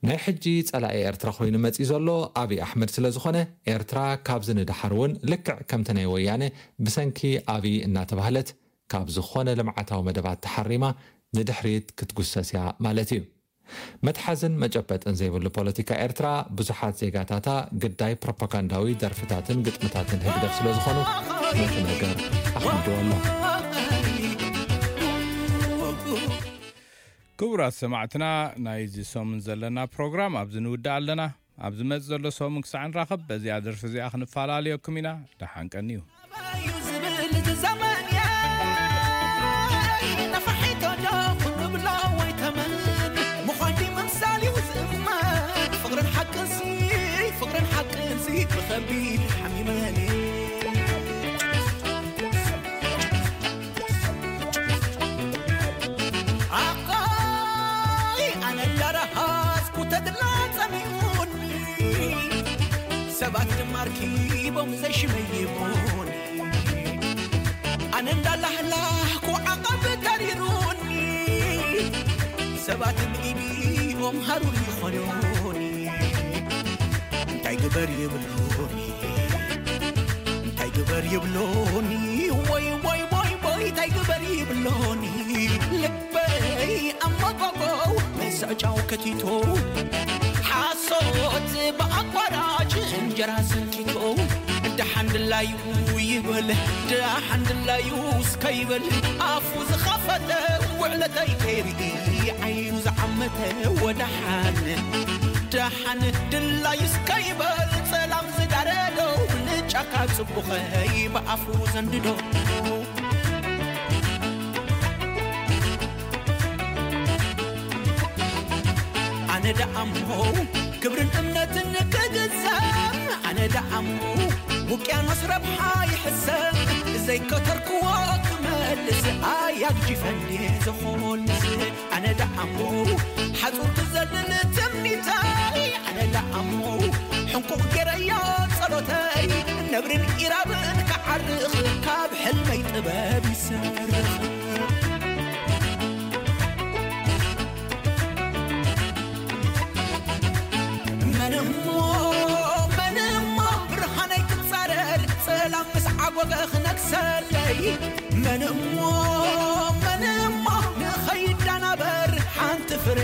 ናይ ሕጂ ጸላኢ ኤርትራ ኮይኑ መጺኡ ዘሎ ኣብይ ኣሕመድ ስለ ዝኾነ ኤርትራ ካብዚ ንደሓር እውን ልክዕ ከምቲ ናይ ወያነ ብሰንኪ ኣብይ እናተባህለት ካብ ዝኾነ ልምዓታዊ መደባት ተሓሪማ ንድሕሪት ክትጉሰስ እያ ማለት እዩ። መትሓዝን መጨበጥን ዘይብሉ ፖለቲካ ኤርትራ ብዙሓት ዜጋታታ ግዳይ ፕሮፓጋንዳዊ ደርፍታትን ግጥምታትን ህግደፍ ስለ ዝኾኑ ነቲ ነገር ኣኽቢድዎ ኣሎ። ክቡራት ሰማዕትና ናይዚ ሰሙን ዘለና ፕሮግራም ኣብዚ ንውድእ ኣለና። ኣብ ዝመጽእ ዘሎ ሰሙን ክሳዕ ንራኸብ በዚኣ ደርፊ እዚኣ ክንፈላለየኩም ኢና። ደሓን ቀንዩ። እዩ ዝብል እቲ ዘመን እየ። ነፋሒቶ ዶ ክንብሎ ወይ ተመን ምዃን ድዩ ምምሳል እዩ ዝእመን። ፍቕርን ሓቅንሲ፣ ፍቕርን ሓቅንሲ ብኸቢድ ሓሚመን እየ። ኣኾይ ኣነ እንዳረሃጽኩ ተድላ ጸሚኡኒ፣ ሰባት ድማ ኣርኪቦም ዘይሽመይ ይቦኒ። ኣነ እንዳላህላህኩ ዓቐብ ተሪሩኒ፣ ሰባት ብኢዲኦም ሃሩር ይኾኑኒ። እንታይ ግበር ይብሉኒ፣ እንታይ ግበር ይብሉኒ፣ ወይ ወይ ወይ ወይ እንታይ ግበር ይብሉኒ። ልበይ ኣመጎጎ ምሰዕጫው ከቲቶ፣ ሓሶት ብኣቋራጭ እንጀራ ሰንኪቶ። ደሓን ድላዩ ይበል፣ ደሓን ድላዩ እስከ ይበል፣ ኣፉ ዝኸፈተ ውዕለተይ ከይርኢ ዓይኑ ዝዓመተ። ወደሓን ደሓን ድላዩ እስከ ይበል፣ ጸላም ዝጋረዶ ንጫካ ጽቡኸይ ብኣፉ ዘንድዶ። ኣነ ደኣሞ ክብርን እምነትን ክግዘም፣ ኣነ ደኣሞ ውቅያኖስ ረብሓ ይሕሰብ። ዘይከተርክዎ ክመልስ ኣያግጂፈን ድየ ዝኾልስ። ኣነ ደኣሞ ሓጹር ክዘልል ትምኒተይ፣ ኣነ ደኣሞ ሕንቁቕ ገይረዮ ጸሎተይ። ነብርን ኢራብን ክዓርኽ ካብ ሕልመይ ጥበብ ይሰርኽ። መን እሞ፣ መን እሞ ብርሃነይ ክጻረር፣ ጸላም ምስ ዓጎገ ክነግሰለይ? መን እሞ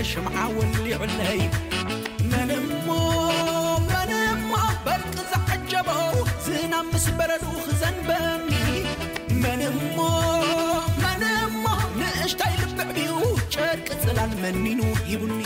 ሽምዓ ወሊዑለይ። መን እሞ መን እሞ በርቂ ዝዓጀቦ ዝናብ ምስ በረዱ ክዘንበኒ። መን እሞ መን እሞ ንእሽታይ ልብዕ ብዩ ጨርቂ ጽላል መኒኑ ሂቡኒ።